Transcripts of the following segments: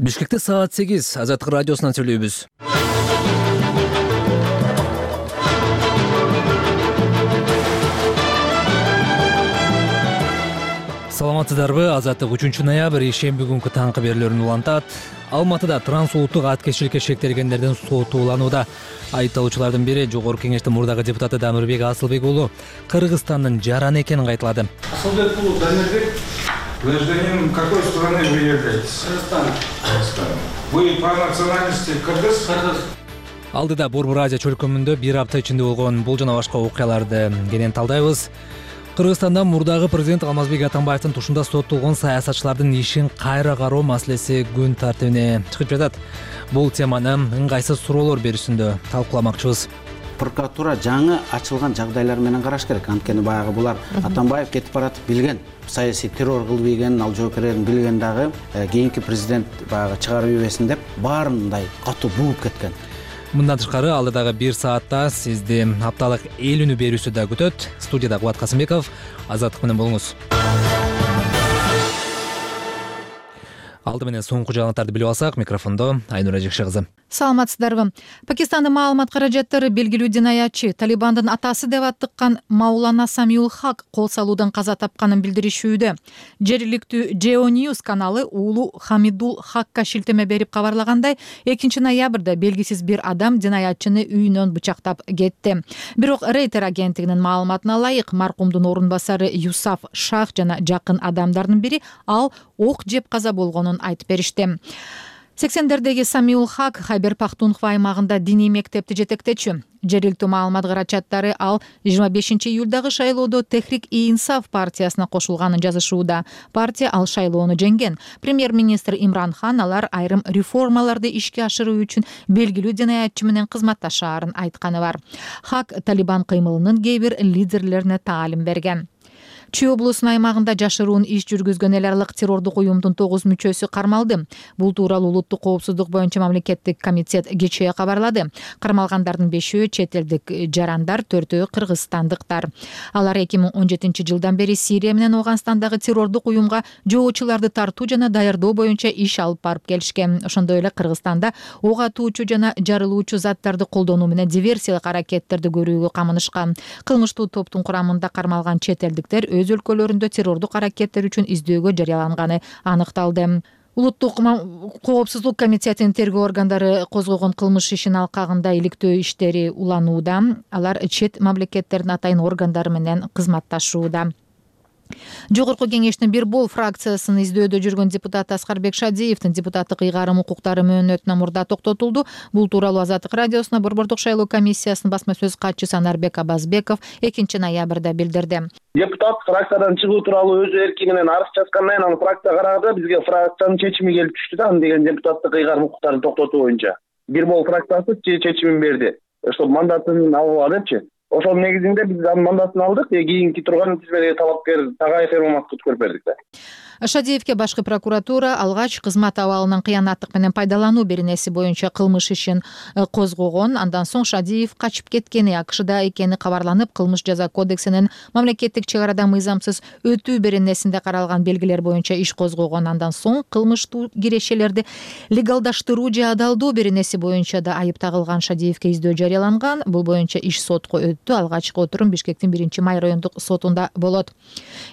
Бишкекте саат 8 Азаттык радиосунан сүйлөйбүз. Саламатсыздарбы? Азаттык 3-ноябрь ишемби күнкү таңкы берүүлөрүн улантат. Алматыда трансулуттук аткезчиликке шектелгендердин соту уланууда. Айыпталуучулардын бири Жогорку Кеңештин мурдагы депутаты Дамирбек Асылбек уулу Кыргызстандын жараны экенин кайталады. Асылбек уулу Дамирбек, гражданин какой страны вы являетесь? Кыргызстан. Вы по национальности кыргыз? Кыргыз. Алдыда Борбор Азия чөлкөмүндө бир апта ичинде болгон бул жана башка окуяларды кенен талдайбыз. Кыргызстанда мурдагы президент Алмазбек Атамбаевдин тушунда соттолгон саясатчылардын ишин кайра кароо маселеси күн тартибине чыгып жатат. Бул теманы ыңгайсыз суроолор берүүсүндө талкууламакчыбыз. Прокуратура жаңы ачылган жагдайлар менен караш керек. Анткени баягы булар Атамбаев кетип баратып билген, саясий террор кылып ийгенин, ал жоокерлерин билген дагы кийинки президент баягы чыгарып ийбесин деп баарындай катуу бугуп кеткен. Мындан тышкары алдыдагы 1 саатта сизди апталык эл үнү берүүсү да күтөт. Студияда Кубат Касымбеков, Азаттык менен болуңуз. Алды менен соңку жаңылыктарды билип алсак, микрофондо Айнура Жекше кызы. Саламатсыздарбы? Пакистандын маалымат каражаттары белгилүү динаятчы Талибандын атасы деп аттыккан Маулана Самиул Хак кол салуудан каза тапканын билдиришүүдө. Жергиликтүү Geo News каналы уулу Хамидул Хакка шилтеме берип кабарлагандай, 2-ноябрда белгисиз бир адам динаятчыны үйүнөн бычактап кетти. Бирок Рейтер агенттигинин маалыматына ылайык, маркумдун орун басары Юсаф Шах жана жакын адамдардын бири ал ок жеп каза болгонун айтып беришти. 80-дердеги Самиул Хак Хайбер Пахтунхва аймагында диний мектепти жетектечү. Жергиликтүү маалымат карачаттары ал 25-июлдагы шайлоодо Техрик-и-Инсаф партиясына кошулганын жазышууда. Партия ал шайлоону жеңген. Премьер-министр Имран Хан алар айрым реформаларды ишке ашыруу үчүн белгилүү динаятчы менен кызматташаарын айтканы бар. Хак Талибан кыймылынын кээ бир лидерлерине таалим берген. Чүй облусунун аймагында жашыруун иш жүргүзгөн эл аралык террордук уюмдун 9 мүчөсү кармалды. Бул тууралуу улуттук коопсуздук боюнча мамлекеттик комитет кечээ кабарлады. Кармалгандардын 5-өө чет элдик жарандар, 4-өө кыргызстандыктар. Алар 2017-жылдан бери Сирия менен Афганистандагы террордук уюмга жоочуларды тартуу жана даярдоо боюнча иш алып барып келишкен. Ошондой эле Кыргызстанда ок атуучу жана жарылуучу заттарды колдонуу менен диверсиялык аракеттерди көрүүгө камынышкан. Кылмыштуу топтун курамында кармалган чет элдиктер өз өлкөлөрүндө террордук аракеттер үчүн издөөгө жарыяланганы аныкталды. Улуттук коопсуздук комитетинин тергөө органдары козгогон кылмыш ишин алкагында иликтөө иштери уланууда. Алар чет мамлекеттердин атайын органдары менен кызматташууда. Жогорку Кеңештин бир бол фракциясын издөөдө жүргөн депутат Аскарбек Шадиевдин депутаттык ыйгарым укуктары мөөнөтүнөн мурда токтотулду. Бул тууралуу Азаттык радиосуна Борбордук шайлоо комиссиясынын басма сөз катчысы Анарбек Абазбеков 2-ноябрда билдирди. Депутат фракциядан чыгуу тууралуу өз эрки менен арыз жазгандан кийин аны фракция карады. Бизге фракциянын чечими келип түштү да, аны деген депутаттык ыйгарым укуктарын токтотуу боюнча. Бир бол фракциясы чечимин берди. Ошо мандатын алгыла депчи. Ошол негизинде биз анын мандатын алдык, кийинки турган тизмедеги талапкер Тагай Фермаматовду көрүп бердик да. Шадиевке башкы прокуратура алгач кызмат абалынан кыянаттык менен пайдалануу беренеси боюнча кылмыш ишин козгогон. Андан соң Шадиев качып кеткени, АКШда экени кабарланып, кылмыш жаза кодексинин мамлекеттик чек арада мыйзамсыз өтүү беренесинде каралган белгилер боюнча иш козгогон. Андан соң кылмыштуу кирешелерди легалдаштыруу же адалдоо беренеси боюнча да айып тагылган Шадиевке издөө жарыяланган. Бул боюнча иш сотко өттү. Алгачкы отурум Бишкектин 1-май райондук сотунда болот.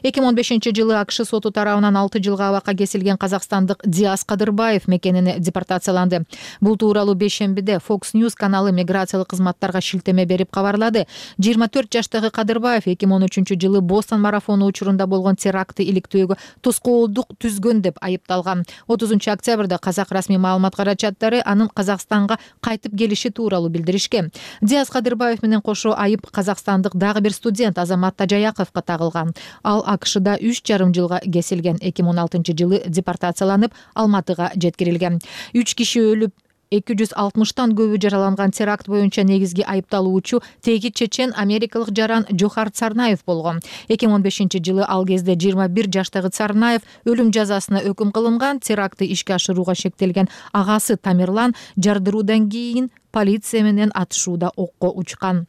2015-жылы АКШ соту тарабынан 6 жылга абакка кесилген казакстандык Диас Кадырбаев мекенине депортацияланды. Бул тууралуу бейшембиде Fox News каналы миграциялык кызматтарга шилтеме берип кабарлады. 24 жаштагы Кадырбаев 2013-жылы Бостон марафону учурунда болгон терактты иликтөөгө тоскоолдук түзгөн деп айыпталган. 30-октябрда казак расмий маалымат карачаттары анын Казакстанга кайтып келиши тууралуу билдиришкен. Диас Кадырбаев менен кошо айып казакстандык дагы бир студент Азамат Тажаяковго тагылган. Ал АКШда 3,5 жылга кесилген. 2016-жылы депортацияланып Алматыга жеткирилген. 3 киши өлүп, 260-тан көбү жараланган теракт боюнча негизги айыпталуучу теги чечен америкалык жаран Жохар Царнаев болгон. 2015-жылы ал кезде 21 жаштагы Царнаев өлүм жазасына өкүм кылынган. Терактты ишке ашырууга шектелген агасы Тамерлан жардыруудан кийин полиция менен атышууда окко учкан.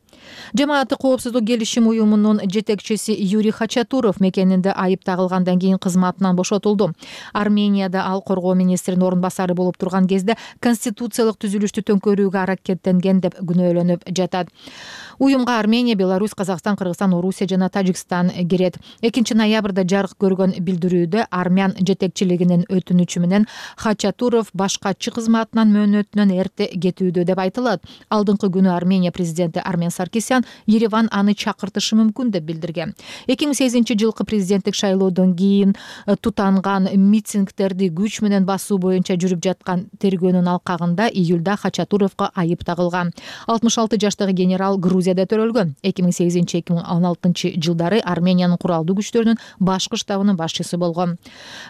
Жамааттык коопсуздук келишим уюмунун жетекчиси Юрий Хачатуров мекенинде айып тагылгандан кийин кызматынан бошотулду. Арменияда ал коргоо министринин орун басары болуп турган кезде конституциялык түзүлүштү төңкөрүүгө аракеттенген деп күнөөлөнүп жатат. Уюмга Армения, Беларусь, Казакстан, Кыргызстан, Орусия жана Тажикстан кирет. 2 ноябрда жарык көргөн билдирүүдө армян жетекчилигинин өтүнүчү менен Хачатуров башкачы кызматынан мөөнөтүнөн эрте кетүүдө деп айтылат. Алдыңкы күнү Армения президенти Армен Саркисян Ереван аны чакыртышы мүмкүн деп билдирген. 2008-жылкы президенттик шайлоодон кийин тутанган митингдерди күч менен басуу боюнча жүрүп жаткан тергөөнүн алкагында июлда Хачатуровго айып тагылган. 66 жаштагы генерал Грузияда төрөлгөн. 2008-2016 жылдары Армениянын куралдуу күчтөрүнүн башкы штабынын башчысы болгон.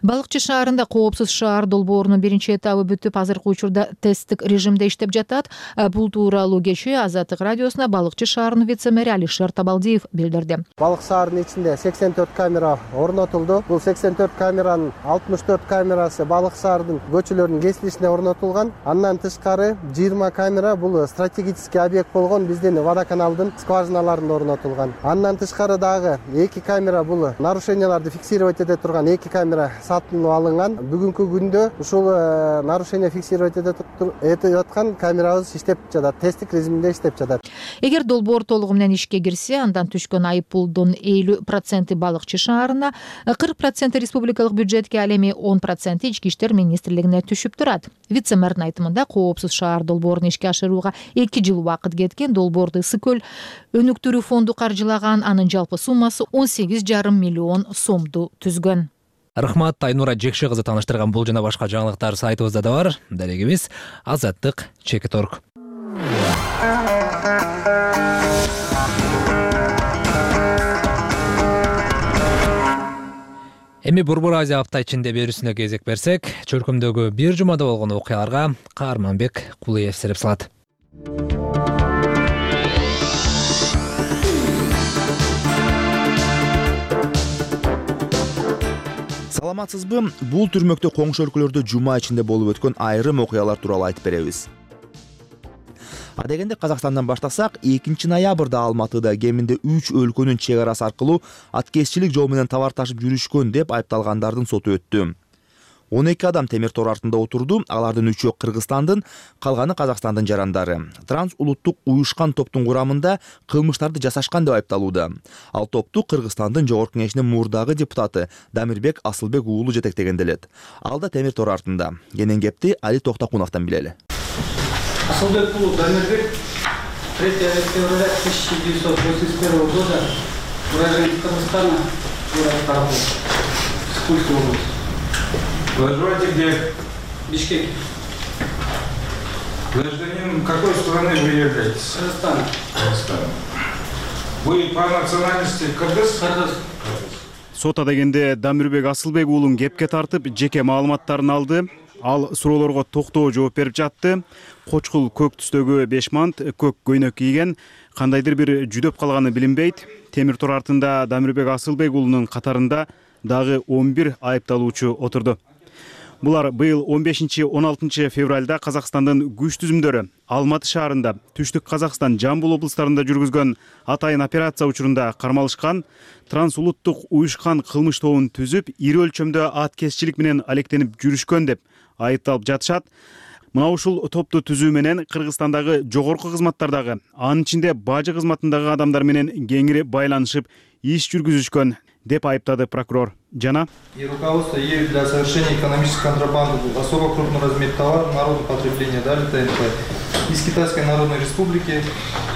Балыкчы шаарында коопсуз шаар долбоорунун биринчи этабы бүтүп, азыркы учурда тесттик режимде иштеп жатат. Бул тууралуу кечээ Азаттык радиосуна Балыкчы шаарынын вице-мэри Алишер Табалдиев билдирди. Балык шаарынын ичинде 84 камера орнотулду. Бул 84 камеранын 64 камерасы Балык шаарынын көчөлөрүнүн кесилишине орнотулган. Андан тышкары 20 камера бул стратегический объект болгон биздин водоканалдын скважиналарында орнотулган. Андан тышкары дагы 2 камера бул нарушенияларды фиксировать эте турган 2 камера сатылып алынган. Бүгүнкү күндө ушул нарушение фиксировать этип аткан камерабыз иштеп жатат, тесттик режимде иштеп жатат. Эгер долбоор толугу менен ишке кирсе, андан түшкөн айып пулдун 50% Балыкчы шаарына, 40% республикалык бюджетке, ал эми 10% ички иштер министрлигине түшүп турат. Вице-мэрдин айтымында коопсуз шаар долбоорун ишке ашырууга 2 жыл убакыт кеткен. Долбоорду Ысык көл өнүктүрүү фонду каржылаган, анын жалпы суммасы 18,5 миллион сомду түзгөн. Рахмат, Айнура Жекши кызы тааныштырган бул жана башка жаңылыктар сайтыбызда да бар. Дарегибиз azаттык.org. Эми Борбор Азия апта ичинде берүүсүнө кезек берсек, чөлкөмдөгү бир жумада болгон окуяларга Каарманбек Кулуев сереп салат. Саламатсызбы? Бул түрмөктө коңшу өлкөлөрдө жума ичинде болуп өткөн айрым окуялар тууралуу айтып беребиз. Адегенде Казакстандан баштасак, 2 ноябрда Алматыда кеминде 3 өлкөнүн чек арасы аркылуу аткезчилик жол менен товар ташып жүрүшкөн деп айыпталгандардын соту өттү. 12 адам темир тор артында отурду. Алардын 3-өө Кыргызстандын, калганы Казакстандын жарандары. Транс улуттук уюшкан топтун курамында кылмыштарды жасашкан деп айыпталууда. Ал топту Кыргызстандын Жогорку кеңешинин мурдагы депутаты Дамирбек Асылбек уулу жетектеген делет. Ал да темир тор артында. Кенен кепти Али Токтакуновдон билели. Асылбек уулу Дамирбек 3 февраля 1981 года уроженец Кыргызстана, город Карабул, Пскульской области. Проживаете где? Бишкек. Гражданин какой страны вы являетесь? Кыргызстан. Кыргызстан. Вы по национальности кыргыз? Кыргыз. Сот адегенде Дамирбек Асылбек уулун кепке тартып, жеке маалыматтарын алды. Ал суроолорго токтоо жооп берип жатты. Кочкул көк түстөгү 5 мант, көк көйнөк кийген, кандайдыр бир жүдөп калганы билинбейт. Темир тор артында Дамирбек Асылбек уулунун катарында дагы 11 айыпталуучу отурду. Булар быйыл 15-16 февралда Казакстандын күч түзүмдөрү Алматы шаарында, Түштүк Казакстан, Жамбыл облустарында жүргүзгөн атайын операция учурунда кармалышкан, трансулуттук уюшкан кылмыш тобун түзүп, ири өлчөмдө аткезчилик менен алектенип жүрүшкөн деп айыпталып жатышат. Мына ушул топту түзүү менен Кыргызстандагы жогорку кызматтардагы, анын ичинде бажы кызматындагы адамдар менен кеңири байланышып, иш жүргүзүшкөн деп айыптады прокурор. Жана И руководство ею для совершения экономической контрабанды особо крупный размер товара народного потребления, далее ТНП, из Китайской Народной Республики,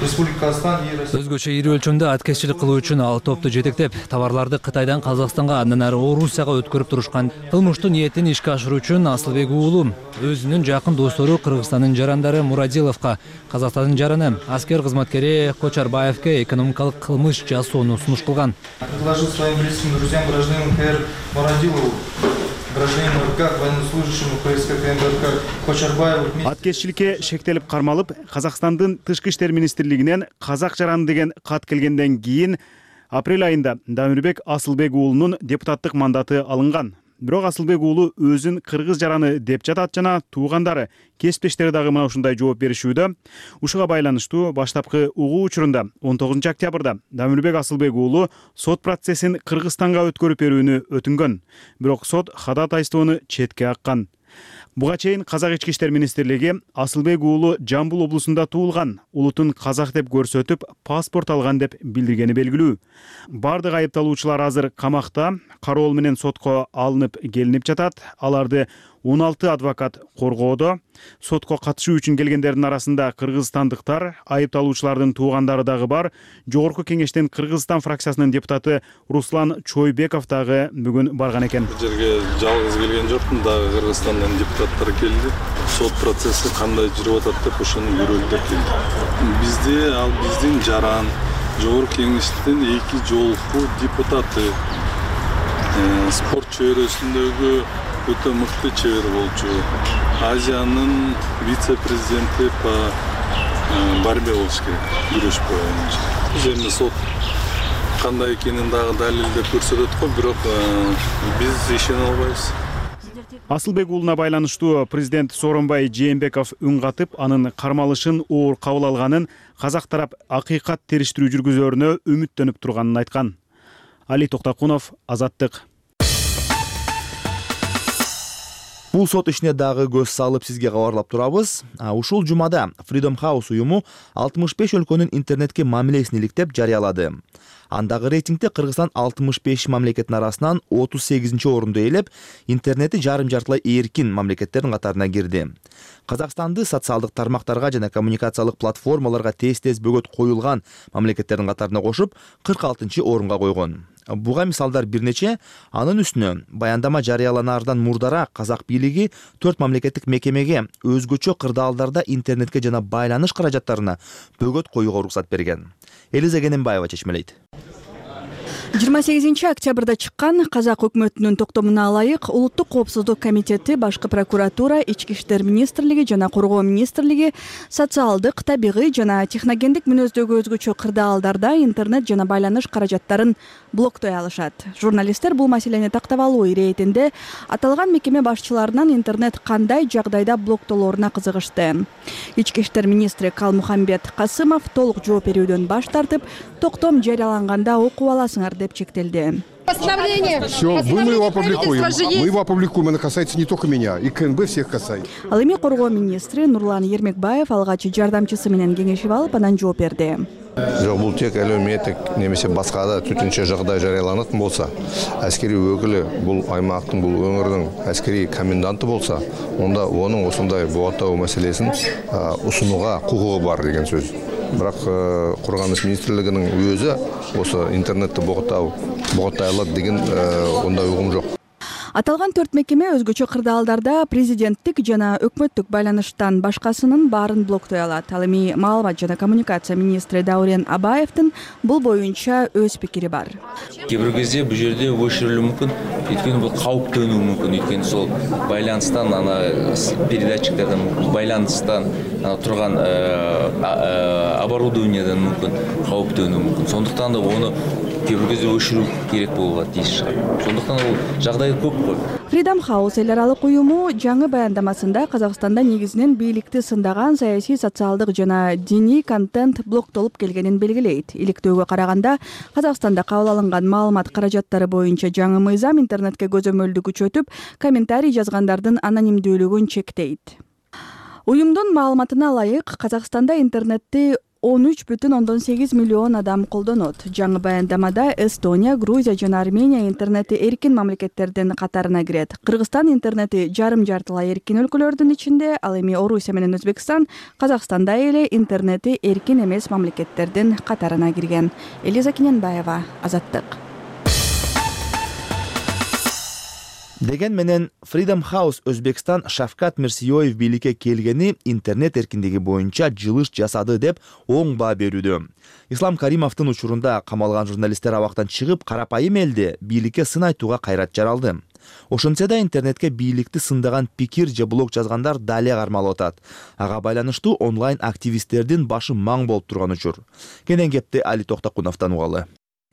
Республика Казахстан и Россия. Өзгөчө ири өлчөмдө аткезчилик кылуу үчүн ал топту жетектеп, товарларды Кытайдан Казакстанга, андан ары Орусияга өткөрүп турушкан. Кылмыштуу ниетин ишке ашыруу үчүн Асылбек уулу өзүнүн жакын достору Кыргызстандын жарандары Мурадиловго, Казакстандын жараны аскер кызматкери Кочарбаевке экономикалык кылмыш жасоону сунуш кылган. Предложил своим близким друзьям гражданину КР Мурадилову, гражданину РК, военнослужащему ФСК КМБРК Кочарбаеву. аткезчиликке шектелип кармалып, Казакстандын тышкы иштер министрлигинен казак жараны деген кат келгенден кийин апрель айында Дамирбек Асылбек уулунун депутаттык мандаты алынган. Бирок Асылбек уулу өзүн кыргыз жараны деп жатат жана туугандары, кесиптештери дагы мына ушундай жооп беришүүдө. Ушуга байланыштуу баштапкы угуу учурунда 19 октябрда Дамирбек Асылбек уулу сот процессин Кыргызстанга өткөрүп берүүнү өтүнгөн. Бирок сот ходатайствону четке каккан. Буга чейин Казак ички иштер министрлиги Асылбек уулу Жамбыл облусунда туулган, улутун казак деп көрсөтүп, паспорт алган деп билдиргени белгилүү. Бардык айыпталуучулар азыр камакта, кароол менен сотко алынып келинип жатат. Аларды 16 адвокат коргоодо. Сотко катышуу үчүн келгендердин арасында кыргызстандыктар, айыпталуучулардын туугандары дагы бар. Жогорку кеңештин Кыргызстан фракциясынын депутаты Руслан Чойбеков дагы бүгүн барган экен. Бул жерге жалгыз келген жокмун, дагы Кыргызстандан депутаттар келди. Сот процесси кандай жүрүп атат деп ошону көрөлүп келди. Бизде ал биздин жаран жогорку кеңештин 2 жолку депутаты, спорт чөйрөсүндөгү өтө мыкты чебер болчу, Азиянын вице-президенти по борьбе болуш керек, күрөш боюнча. Бул жерде сот кандай экенин дагы далилдеп көрсөтөт го, бирок биз ишене албайбыз. Асылбек уулуна байланыштуу президент Сооронбай Жээнбеков үн катып, анын кармалышын оор кабыл алганын, казак тарап акыйкат териштирүү жүргүзөрүнө үмүттөнүп турганын айткан. Али Токтакунов, Азаттык. Бул сот ишине дагы көз салып сизге кабарлап турабыз. Ушул жумада Freedom House уюму 65 өлкөнүн интернетке мамилесин иликтеп жарыялады. Андагы рейтингде Кыргызстан 65 мамлекеттин арасынан 38-чи орунду ээлеп, интернети жарым-жартылай эркин мамлекеттердин катарына кирди. Казакстанды социалдык тармактарга жана коммуникациялык платформаларга тез-тез бөгөт коюлган мамлекеттердин катарына кошуп, 46-чы орунга койгон. Буга мисалдар бир нече. Анын үстүнө баяндама жарыяланаардан мурдараак казак бийлиги 4 мамлекеттик мекемеге өзгөчө кырдаалдарда интернетке жана байланыш каражаттарына бөгөт коюуга уруксат берген. Элиза Кененбаева чечмелейт. 28 октябрда чыккан казак өкмөтүнүн токтомуна ылайык Улуттук коопсуздук комитети, Башкы прокуратура, Ички иштер министрлиги жана Коргоо министрлиги социалдык, табигый жана техногендик мүнөздөгү өзгөчө кырдаалдарда интернет жана байланыш каражаттарын блоктой алышат. Журналисттер бул маселени тактап алуу иретинде аталган мекеме башчыларынан интернет кандай жагдайда блоктолоруна кызыгышты. Ички иштер министри Калмухамбет Касымов толук жооп берүүдөн баш тартып, токтом жарыяланганда окуп аласыңар деп чектелди. Все, мы его опубликуем. Мы его опубликуем, это касается не только меня, и КНБ всех касается. Ал эми Коргоо министри Нурлан Ермекбаев алгач жардамчысы менен кеңешип алып, анан жооп берди. Жок, бул тек әлеуметтик немесе башка да төтөнчө жагдай жарыяланатын болса, аскери өкүлү бул аймактын, бул өңүрдүн аскери коменданты болса, онда онун осундай бугаттоо маселесин усунууга кукугу бар деген сөз. Бирок Коргоонуш министрлигинин өзү осы интернетти бугаттай алат деген ондай угум жок. Аталган 4 мекеме өзгөчө кырдаалдарда президенттик жана өкмөттүк байланыштан башкасынын баарын блоктой алат. Ал эми маалымат жана коммуникация министри Даурен Абаевдин бул боюнча өз пикири бар. Кээ бир кезде бул жерде өчүрүлүшү мүмкүн, өйткөнү бул кауптөнүү мүмкүн, өйткөнү сол байланыстан передатчиктерден байланыстан турган оборудованиядан мүмкүн кауптөнүү мүмкүн. Сондуктан да ону кээ бир кезде өчүрүү керек болот дейш. Сондуктан бул жагдай көп. Freedom House эл аралык уюму жаңы баяндамасында Казакстанда негизинен бийликти сындаган саясий, социалдык жана диний контент блоктолуп келгенин белгилейт. Иликтөөгө караганда Казакстанда кабыл алынган маалымат каражаттары боюнча жаңы мыйзам интернетке көзөмөлдү күчөтүп, комментарий жазгандардын анонимдүүлүгүн чектейт. Уюмдун маалыматына ылайык, Казакстанда интернетти 13,8 миллион адам колдонот. Жаңы баяндамада Эстония, Грузия жана Армения интернети эркин мамлекеттердин катарына кирет. Кыргызстан интернети жарым-жартылай эркин өлкөлөрдүн ичинде, ал эми Орусия менен Өзбекстан Казакстанда эле интернети эркин эмес мамлекеттердин катарына кирген. Элиза Кененбаева, Азаттык. Деген менен Freedom House Өзбекстан Шавкат Мирзиёев бийликке келгени интернет эркиндиги боюнча жылыш жасады деп оң баа берүүдө. Ислам Каримовдун учурунда камалган журналисттер абактан чыгып, карапайым элде бийликке сын айтууга кайрат жаралды. Ошентсе да интернетке бийликти сындаган пикир же блог жазгандар дале кармалып атат. Ага байланыштуу онлайн активисттердин башы маң болуп турган учур. Кенен кепти Али Токтакуновдон угалы.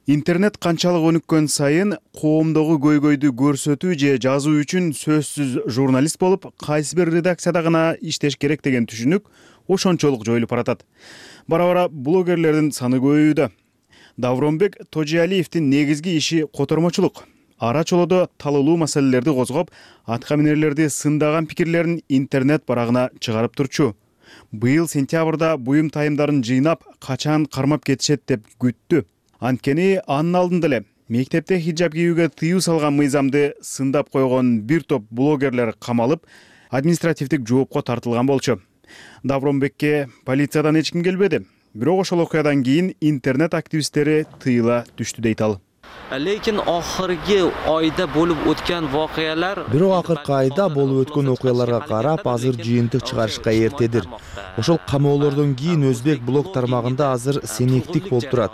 Интернет канчалык өнүккөн сайын коомдогу көйгөйдү көрсөтүү же жазуу үчүн сөзсүз журналист болуп, кайсы бир редакцияда гана иштеш керек деген түшүнүк ошончолук жоюлуп баратат. Бара-бара блогерлердин саны көбөйүүдө. Давронбек Тожиалиевдин негизги иши котормочулук. Ара чолодо талуулуу маселелерди козгоп, атка минерлерди сындаган пикирлерин интернет барагына чыгарып турчу. Быйыл сентябрда буюм тайымдарын жыйнап, качан кармап кетишет деп күттү. Анткени анын алдында эле мектепте хиджаб кийүүгө тыюу салган мыйзамды сындап койгон бир топ блогерлер камалып, административдик жоопко тартылган болчу. Давронбекке полициядан эч ким келбеди. Бирок ошол окуядан кийин интернет активисттери тыйыла түштү дейт ал. Lekin oxirgi oyda bo'lib o'tgan voqealar Бирок акыркы айда болуп өткөн окуяларга карап, азыр жыйынтык чыгарышка эртедир. Ошол камоолордон кийин өзбек блог тармагында азыр сенектик болуп турат.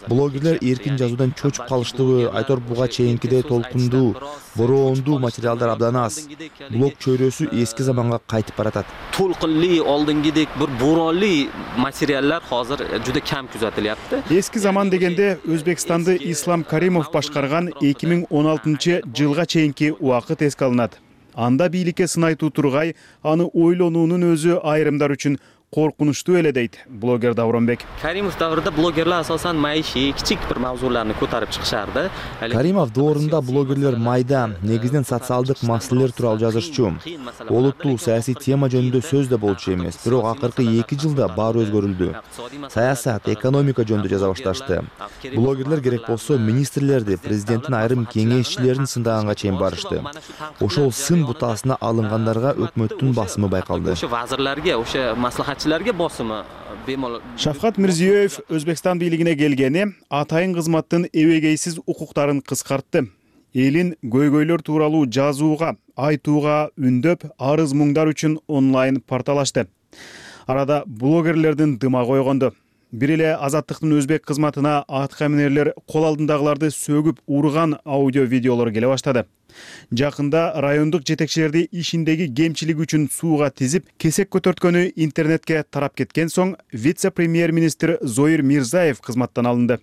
Блогерлер эркин жазуудан чочуп калыштыбы, айтор буга чейинкидей толкундуу, бороондуу материалдар абдан аз. Блог чөйрөсү эски заманга кайтып баратат. Толкунли олдингидек бир боронли материалlar hozir juda kam kuzatilyapti. Эски заман дегенде Өзбекстанды Ислам Каримов башкарган 2016-жылга чейинки убакыт эске алынат. Анда бийликке сынайтуу тургай, аны ойлонуунун өзү айрымдар үчүн коркунучтуу эле дейт блогер Давронбек. Karimov davrida blogerlar asosan maishiy, kichik bir mavzularni ko'tarib chiqishardi. Каримов доорунда блогерлер майда, негизинен социалдык маселелер тууралуу жазышчу. Олуттуу саясий тема жөнүндө сөз да болчу эмес, бирок акыркы 2 жылда баары өзгөрүлдү. Саясат, экономика жөнүндө жаза башташты. Блогерлер керек болсо министрлерди, президенттин айрым кеңешчилерин сындаганга чейин барышты. Ошол сын бутасына алынгандарга өкмөттүн басымы байкалды. O'sha vazirlarga, o'sha maslahatchilarga bosimi bemalol. Шавкат Мирзиёев Өзбекстан бийлигине келгени атайын кызматтын эбегейсиз укуктарын кыскартты. Элин көйгөйлөр тууралуу жазууга, айтууга үндөп, арыз муңдар үчүн онлайн портал ачты. Арада блогерлердин дыма койгонду. Бир эле Азаттыктын өзбек кызматына атка минерлер кол алдындагыларды сөгүп урган аудио видеолор келе баштады. Жакында райондук жетекчилерди ишиндеги кемчилиги үчүн сууга тизип, кесек көтөрткөнү интернетке тарап кеткен соң вице-премьер-министр Зоир Мирзаев кызматтан алынды.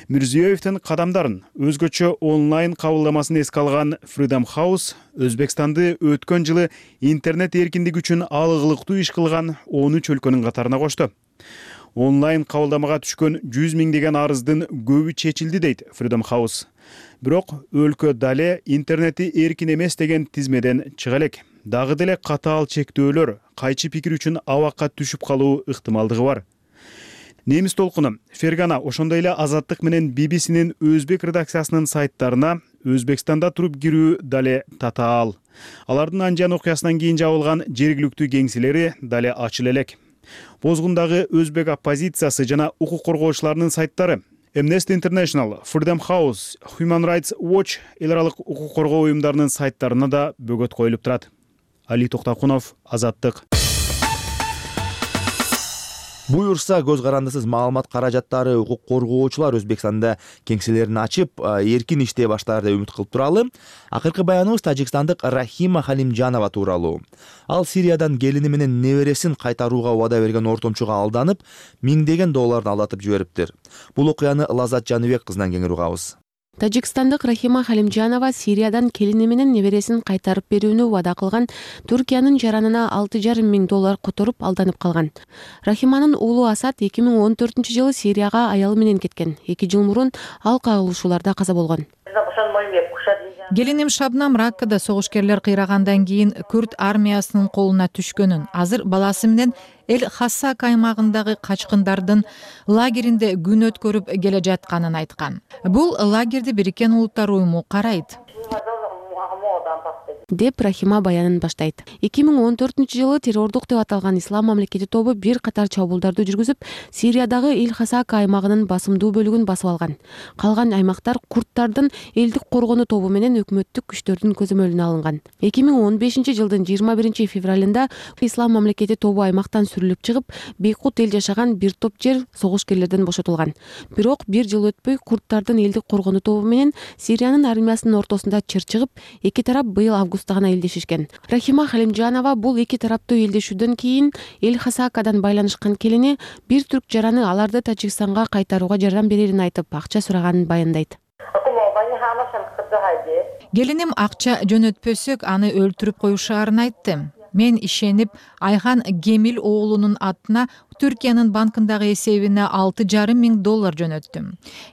Мирзиёевдин кадамдарын өзгөчө онлайн кабылдамасын эске алган Freedom House Өзбекстанды өткөн жылы интернет эркиндиги үчүн алыгылыктуу иш кылган 13 өлкөнүн катарына кошту. Онлайн кабылдамага түшкөн 100 миңдеген арыздын көбү чечилди дейт Freedom House. Бирок өлкө дале интернети эркин эмес деген тизмеден чыга элек. Дагы деле катаал чектөөлөр, кайчы пикир үчүн абакка түшүп калуу ыктымалдыгы бар. Немис толкуну Фергана ошондой эле Азаттык менен BBC-нин өзбек редакциясынын сайттарына Өзбекстанда туруп кирүү дале татаал. Алардын анжан окуясынан кийин жабылган жергиликтүү кеңселери дале ачыла элек. Бозгундагы өзбек оппозициясы жана укук коргоочуларынын сайттары Amnesty International, Freedom House, Human Rights Watch эл аралык укук коргоо уюмдарынын сайттарына да бөгөт коюлуп турат. Али Токтакунов, Азаттык. Буюрса, көз карандысыз маалымат каражаттары укук коргоочулар Өзбекстанда кеңселерин ачып, эркин иштей баштаар деп үмүт кылып туралы. Акыркы баяныбыз тажикстандык Рахима Халимжанова тууралуу. Ал Сириядан келини менен небересин кайтарууга убада берген ортомчуга алданып, миңдеген долларын алдатып жибериптир. Бул окуяны Лазат Жаныбек кызынан кеңири угабыз. Тажикстандык Рахима Халимжанова Сириядан келини менен небересин кайтарып берүүнү убада кылган Түркиянын жаранына 6,5 миң доллар которуп алданып калган. Рахиманын уулу Асад 2014-жылы Сирияга аялы менен кеткен. 2 жыл мурун ал кагылышууларда каза болгон. Келиним Шабнам Раккада согушкерлер кыйрагандан кийин Күрд армиясынын колуна түшкөнүн, азыр баласы менен Эль-Хассак аймагындагы качкындардын лагеринде күн өткөрүп келе жатканын айткан. Бул лагерди Бириккен Улуттар уюму карайт. деп Рахима баянын баштайт. 2014-жылы террордук деп аталган Ислам мамлекети тобу бир катар чабуулдарды жүргүзүп, Сириядагы Эль-Хасак аймагынын басымдуу бөлүгүн басып алган. Калган аймактар курдтардын элдик коргонуу тобу менен өкмөттүк күчтөрдүн көзөмөлүнө алынган. 2015-жылдын 21-февралында Ислам мамлекети тобу аймактан сүрүлүп чыгып, бейкут эл жашаган бир топ жер согушкерлерден бошотулган. Бирок бир жыл өтпөй курдтардын элдик коргонуу тобу менен Сириянын армиясынын ортосунда чыр чыгып, эки тарап быйыл август туустугана элдешишкен. Рахима Халимжанова бул эки тараптуу элдешүүдөн кийин Эль-Хасакадан байланышкан келини бир түрк жараны аларды Тажикстанга кайтарууга жардам берерин айтып, акча сураганын баяндайт. Келиним акча жөнөтпөсөк аны өлтүрүп коюшаарын айтты. Мен ишенип Айхан Гемил оолунун атына Түркиянын банкындагы эсебине $6,500 жөнөттүм.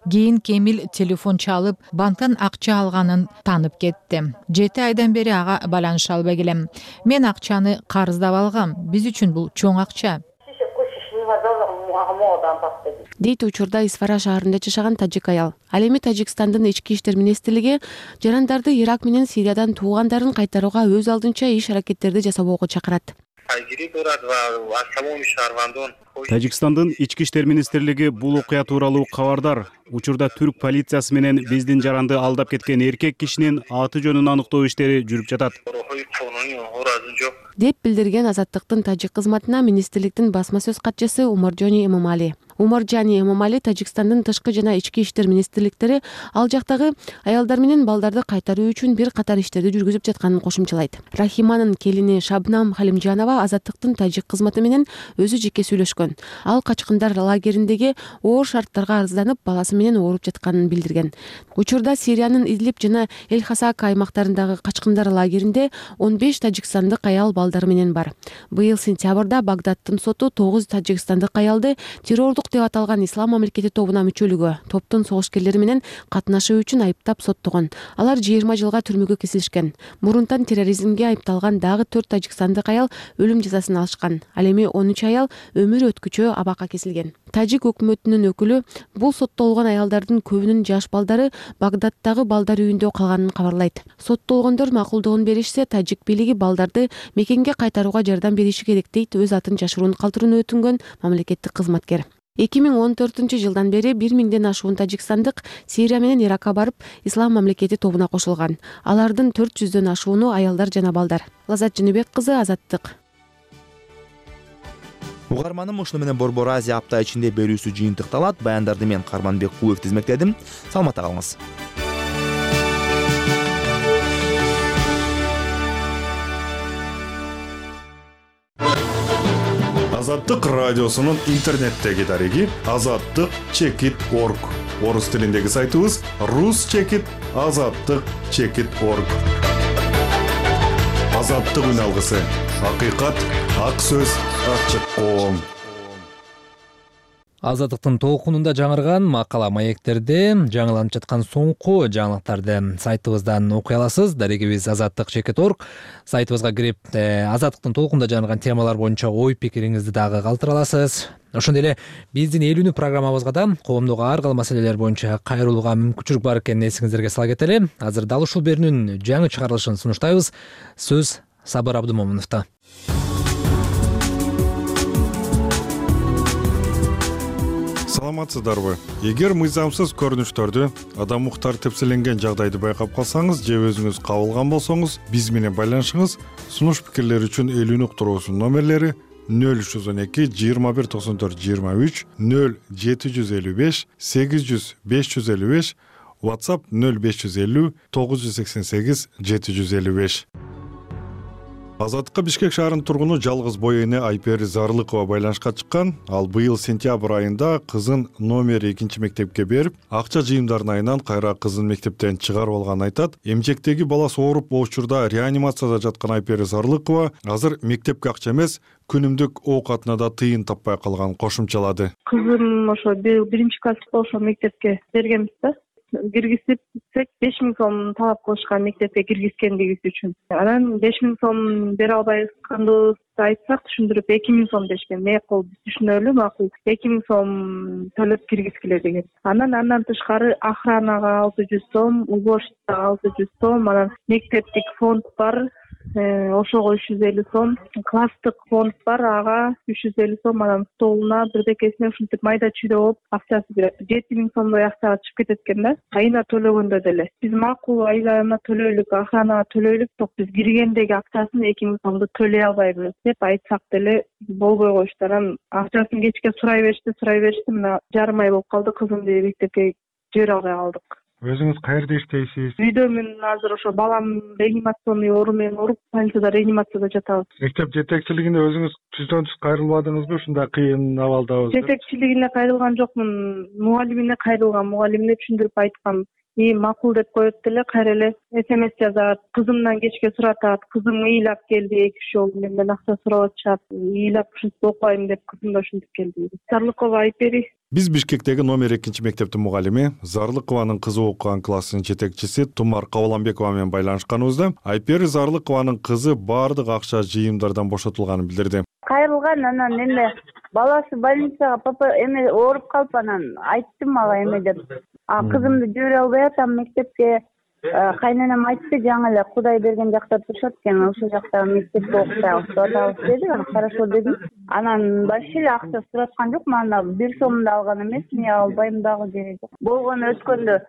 Кийин Кемил телефон чалып, банктан акча алганын танып кетти. 7 айдан бери ага байланыша албай келем. Мен акчаны карыздап алгам. Биз үчүн бул чоң акча. Дейт учурда Исфара шаарында жашаган тажик аял. Ал эми Тажикстандын ички иштер министрлиги жарандарды Ирак менен Сириядан туугандарын кайтарууга өз алдынча иш-аракеттерди жасоого чакырат. Тажикстандын ички иштер министрлиги бул окуя тууралуу кабардар. Учурда түрк полициясы менен биздин жаранды алдап кеткен эркек кишинин аты жөнүн аныктоо иштери жүрүп жатат, деп билдирген Азаттыктын тажик кызматына министрликтин басма сөз катчысы Умаржани Эмомали. Умаржани Эмомали Тажикстандын тышкы жана ички иштер министрликтери ал жактагы аялдар менен балдарды кайтаруу үчүн бир катар иштерди жүргүзүп жатканын кошумчалайт. Рахиманын келини Шабнам Халимжанова Азаттыктын тажик кызматы менен өзү жеке сүйлөшкөн. Ал качкындар лагериндеги оор шарттарга арызданып, баласы менен ооруп жатканын билдирген. Учурда Сириянын Идлиб жана Эль-Хасака аймактарындагы качкындар лагеринде 15 тажикстандык аял балдары менен бар. Быйыл сентябрда Багдадтын соту 9 тажикстандык аялды террордук деп аталган Ислам мамлекети тобуна мүчөлүгү, топтун согушкерлери менен катнашуу үчүн айыптап соттогон. Алар 20 жылга түрмөгө кесилишкен. Мурунтан терроризмге айыпталган дагы 4 тажикстандык аял өлүм жазасын алышкан. Ал эми 13 аял өмүр өткүчө абакка кесилген. Тажик өкмөтүнүн өкүлү бул соттолгон аялдардын көбүнүн жаш балдары Багдадтагы балдар үйүндө калганын кабарлайт. Соттолгондор макулдугун беришсе, тажик бийлиги балдарды мекенге кайтарууга жардам бериши керек дейт өз атын жашыруун калтырууну өтүнгөн мамлекеттик кызматкер. 2014 жылдан бери 1000ден ашуун тажикстандык Сирия менен Иракка барып, Ислам мамлекети тобуна кошулган. Алардын 400дөн ашууну аялдар жана балдар. Лазат Жөнөбек кызы, Азаттык. Угарманым ушуну менен Борбор Азия апта ичинде берүүсү жыйынтыкталат. Баяндарды мен Карманбек Кулуев тизмектедим. Саламатта калыңыз. Азаттык радиосунун интернеттеги дареги azattik.org. Орус тилиндеги сайтыбыз rus.azattik.org. Азаттык үн алгысы. Акыйкат, ак сөз, ачык коом. Азаттыктын толкунунда жаңырган макала маектерде жаңыланып жаткан соңку жаңылыктарды сайтыбыздан окуй аласыз. Дарегибиз azattik.org. Сайтыбызга кирип, Азаттыктын толкунунда жаңырган темалар боюнча ой пикириңизди дагы калтыра аласыз. Ошондой эле биздин Эл үнү программабызга да коомдогу ар кыл маселелер боюнча кайрылууга мүмкүнчүлүк бар экенин эсиңиздерге сала кетели. Азыр дал ушул берүүнүн жаңы чыгарылышын сунуштайбыз. Сөз Сабыр Абдымомуновдо. Саламатсыздарбы? Эгер мыйзамсыз көрүнүштөрдү, адам укуктары тепселенген жагдайды байкап калсаңыз же өзүңүз кабылган болсоңуз, биз менен байланышыңыз. Сунуш пикирлер үчүн Эл үнү уктуруусунун номерлери 0312 21 94 23, 0755 800 555, WhatsApp 0550 988 755. Азаттыкка Бишкек шаарынын тургуну жалгыз бой эне Айпери Зарлыкова байланышка чыккан. Ал быйыл сентябрь айында кызын номер 2 мектепке берип, акча жыйымдарын айынан кайра кызын мектептен чыгарып алганын айтат. Эмчектеги баласы ооруп учурда реанимацияда жаткан Айпери Зарлыкова азыр мектепке акча эмес, күнүмдүк оокатына да тыйын таппай калганын кошумчалады. Кызым ошо 1-класс ошо мектепке бергенбиз да. Киргизсек 5000 сом талап кылышкан мектепке киргизгендигибиз үчүн. Анан 5000 сом бере албайбызды айтсак, түшүндүрүп 2000 сом дешкен. Макул, биз түшүнөлү, макул. 2000 сом төлөп киргизгиле деген. Андан тышкары охранага 600 сом, уборщицага 600 сом, анан мектептик фонд бар, ошого 350 сом, класстык фонд бар, ага 350 сом, анан столуна, бирдекесине ушинтип майда чүйдө болуп акчасы берет. 7000 сомдой акчага чыгып кетет экен да. Айына төлөгөндө деле. Биз макул айына төлөйлүк, охранага төлөйлүк, ток биз киргендеги акчасын 2000 сомду төлөй албайбыз деп айтсак деле болбой коюшту. Анан акчасын кечке сурай беришти, мына жарым ай болуп калды, кызымды мектепке жибере албай калдык. Өзүңүз каерде иштейсиз? Үйдөмүн азыр, ошо балам реанимационный оору менен ооруп, больницада реанимацияда жатабыз. Мектеп жетекчилигине өзүңүз түздөн түз кайрылбадыңызбы ушундай кыйын абалдабыз? Жетекчилигине кайрылган жокмун, мугалимине кайрылгам, мугалимине түшүндүрүп айткам. Макул деп коет деле, кайра эле СМС жазат, кызымдан кечке суратат, кызым ыйлап келди, 2-3 жолу менден акча сурап атышат, ыйлап ушинтип окуйм деп кызым да ушинтип келди. Зарлыкова Айпери. Биз Бишкектеги номер 2 мектептин мугалими, Зарлыкованын кызы окуган класстын жетекчиси Тумар Кабыланбекова менен байланышканыбызда Айпери Зарлыкованын кызы баардык акча жыйымдардан бошотулганын билдирди. Кайрылган, анан эме баласы больницага папа эме ооруп калып, анан айтты мага эме деп. Кызымды жибере албай атам мектепке. Кайненем айтты, жаңы эле Кудай берген жакта турушат экен, ошол жакта мектепте окутабыз деп атабыз деди. Хорошо дедим. Анан вообще эле акча сураткан жок, мана 1 сом да алган эмес, мен албайм дагы деди. Болгону өткөндө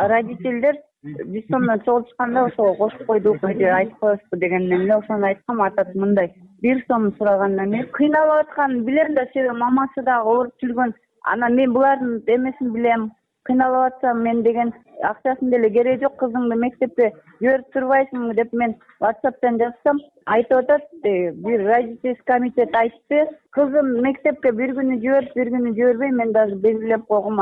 родительдер 1 сомдон чогултушканда ошого кошуп койдук, айтып коесузбу дегенден эле ошону айткам, атат мындай 1 сом сурагандан эмес. Кыйналып атканын билем да, себеби мамасы дагы ооруп жүргөн. Анан мен булардын эмесин билем. Кыйналып атсам мен деген акчасын деле кереги жок, кызыңды мектепке жиберип турбайсыңбы деп мен WhatsApp'тан жазсам, айтып атат, бир родительский комитет айтты, кызым мектепке бир күнү жиберип, бир күнү жибербей, мен даже белгилеп койгум,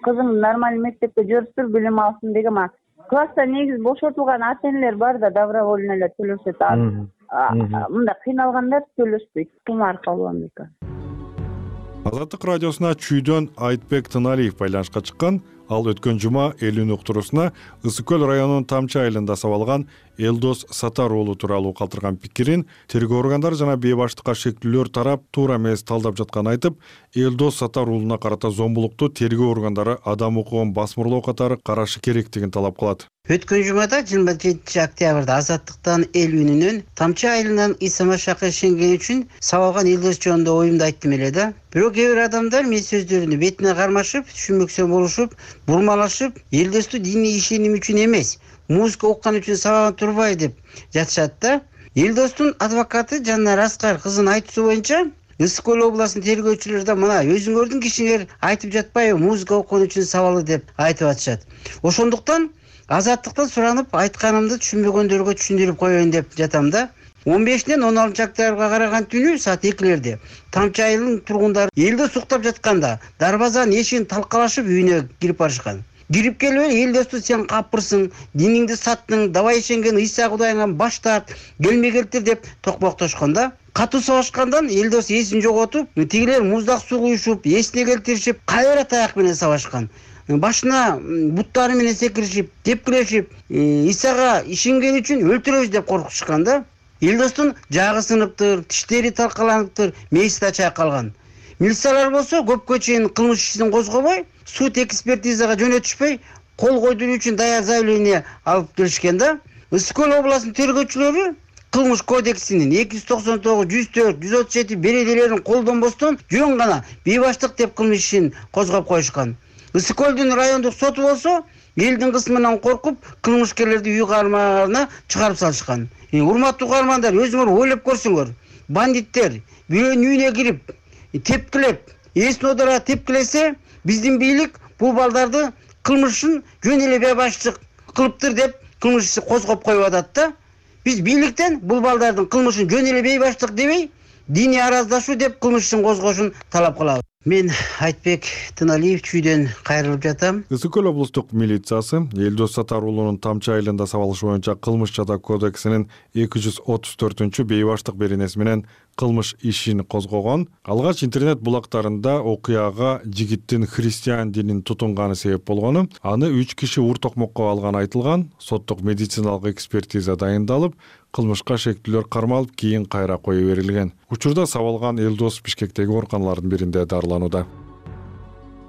кызыңды нормальный мектепке жиберип тур, билим алсын дегем. Класста негизи бошотулган ата-энелер бар да, добровольно эле төлөшөт. Мында кыйналгандар төлөшпөйт. Тумар Кабыланбекова. Азаттык радиосуна чүйдөн Айтбек Тыналиев байланышка чыккан. Ал өткөн жума элүүнүн уктурусуна Ысык көл районунун Тамчы айылында сабалган Элдос Сатар уулу тууралуу калтырган пикирин тергөө органдары жана бейбаштыкка шектүүлөр тарап туура эмес талдап жатканын айтып, Элдос Сатар уулуна карата зомбулукту тергөө органдары адам укугун басмырлоо катары карашы керектигин талап кылат. Өткөн жумада 27 октябрда Азаттыктан эл үнүнөн Тамчы айылынан Исама Шакы шенген үчүн сабалган Элдос жөнүндө оюмду айттым эле да. Бирок кээ бир адамдар мен сөздөрүнү бетине кармашып, түшүнбөксө болушуп, бурмалашып, Элдосту диний ишеним үчүн эмес, музыка уккан үчүн сабаган турбай деп жатышат да. Элдостун адвокаты Жанар Аскар кызын айтуусу боюнча Ысык көл областынын тергөөчүлөрү да мына өзүңөрдүн кишиңер айтып жатпайбы, музыка уккан үчүн сабалы деп айтып атышат. Ошондуктан Азаттыктан суранып айтканымды түшүнбөгөндөргө түшүндүрүп коеюн деп жатам да. 15-ден 16 октябрга караган түнү саат 2-лерде Тамчы айылынын тургундары Элдос уктап жатканда дарбазанын эшигин талкалашып үйүнө кирип барышкан. Кирип келип Элдосту сен капырсың, диниңди саттың, давай ишенген Иса Кудайыңан баш тарт, келме келтир деп токмоктошкон да. Катуу сабашкандан Элдос эсин жоготуп, тигилер муздак суу куюшуп, эсине келтиришип, кайра таяк менен сабашкан. Башына буттары менен секиришип, тепкилешип, Исага ишенген үчүн өлтүрөбүз деп коркутушкан да. Элдостун жагы сыныптыр, тиштери талкаланыптыр, мээси да чайкалган. Милициялар болсо көпкө чейин кылмыш ишин козгобой, суд экспертизага жөнөтүшпөй, кол койдуруу үчүн даяр заявление алып келишкен да. Ысык көл областынын тергөөчүлөрү кылмыш кодексинин 299, 104, 137 беренелерин колдонбостон жөн гана бейбаштык деп кылмыш ишин козгоп коюшкан. Ысык көлдүн райондук соту болсо элдин кысмынан коркуп, кылмышкерлерди үй кармагына чыгарып салышкан. Урматтуу угармандар, өзүңөр ойлоп көрсөңөр. Бандиттер бирөөнүн үйүнө кирип, тепкилеп, эсин одора тепкилесе, биздин бийлик бул балдарды кылмышын жөн эле бейбаштык кылыптыр деп кылмыш ишин козгоп коюп атат да. Биз бийликтен бул балдардын кылмышын жөн эле бейбаштык дебей, диний араздашуу деп кылмыш ишин козгошун талап кылабыз. Мен Айтбек Тыналиев чүйдөн кайрылып жатам. Ысык көл облустук милициясы Элдос Сатар уулунун Тамчы айылында сабалышы боюнча кылмыш жада кодексинин 234 бейбаштык беренеси менен кылмыш ишин козгогон. Алгач интернет булактарында окуяга жигиттин христиан динин тутунганы себеп болгону, аны 3 киши ур токмокко алганы айтылган. Соттук медициналык экспертиза дайындалып, кылмышка шектүүлөр кармалып, кийин кайра кое берилген. Учурда сабалган Элдос Бишкектеги ооруканалардын биринде дарыланууда.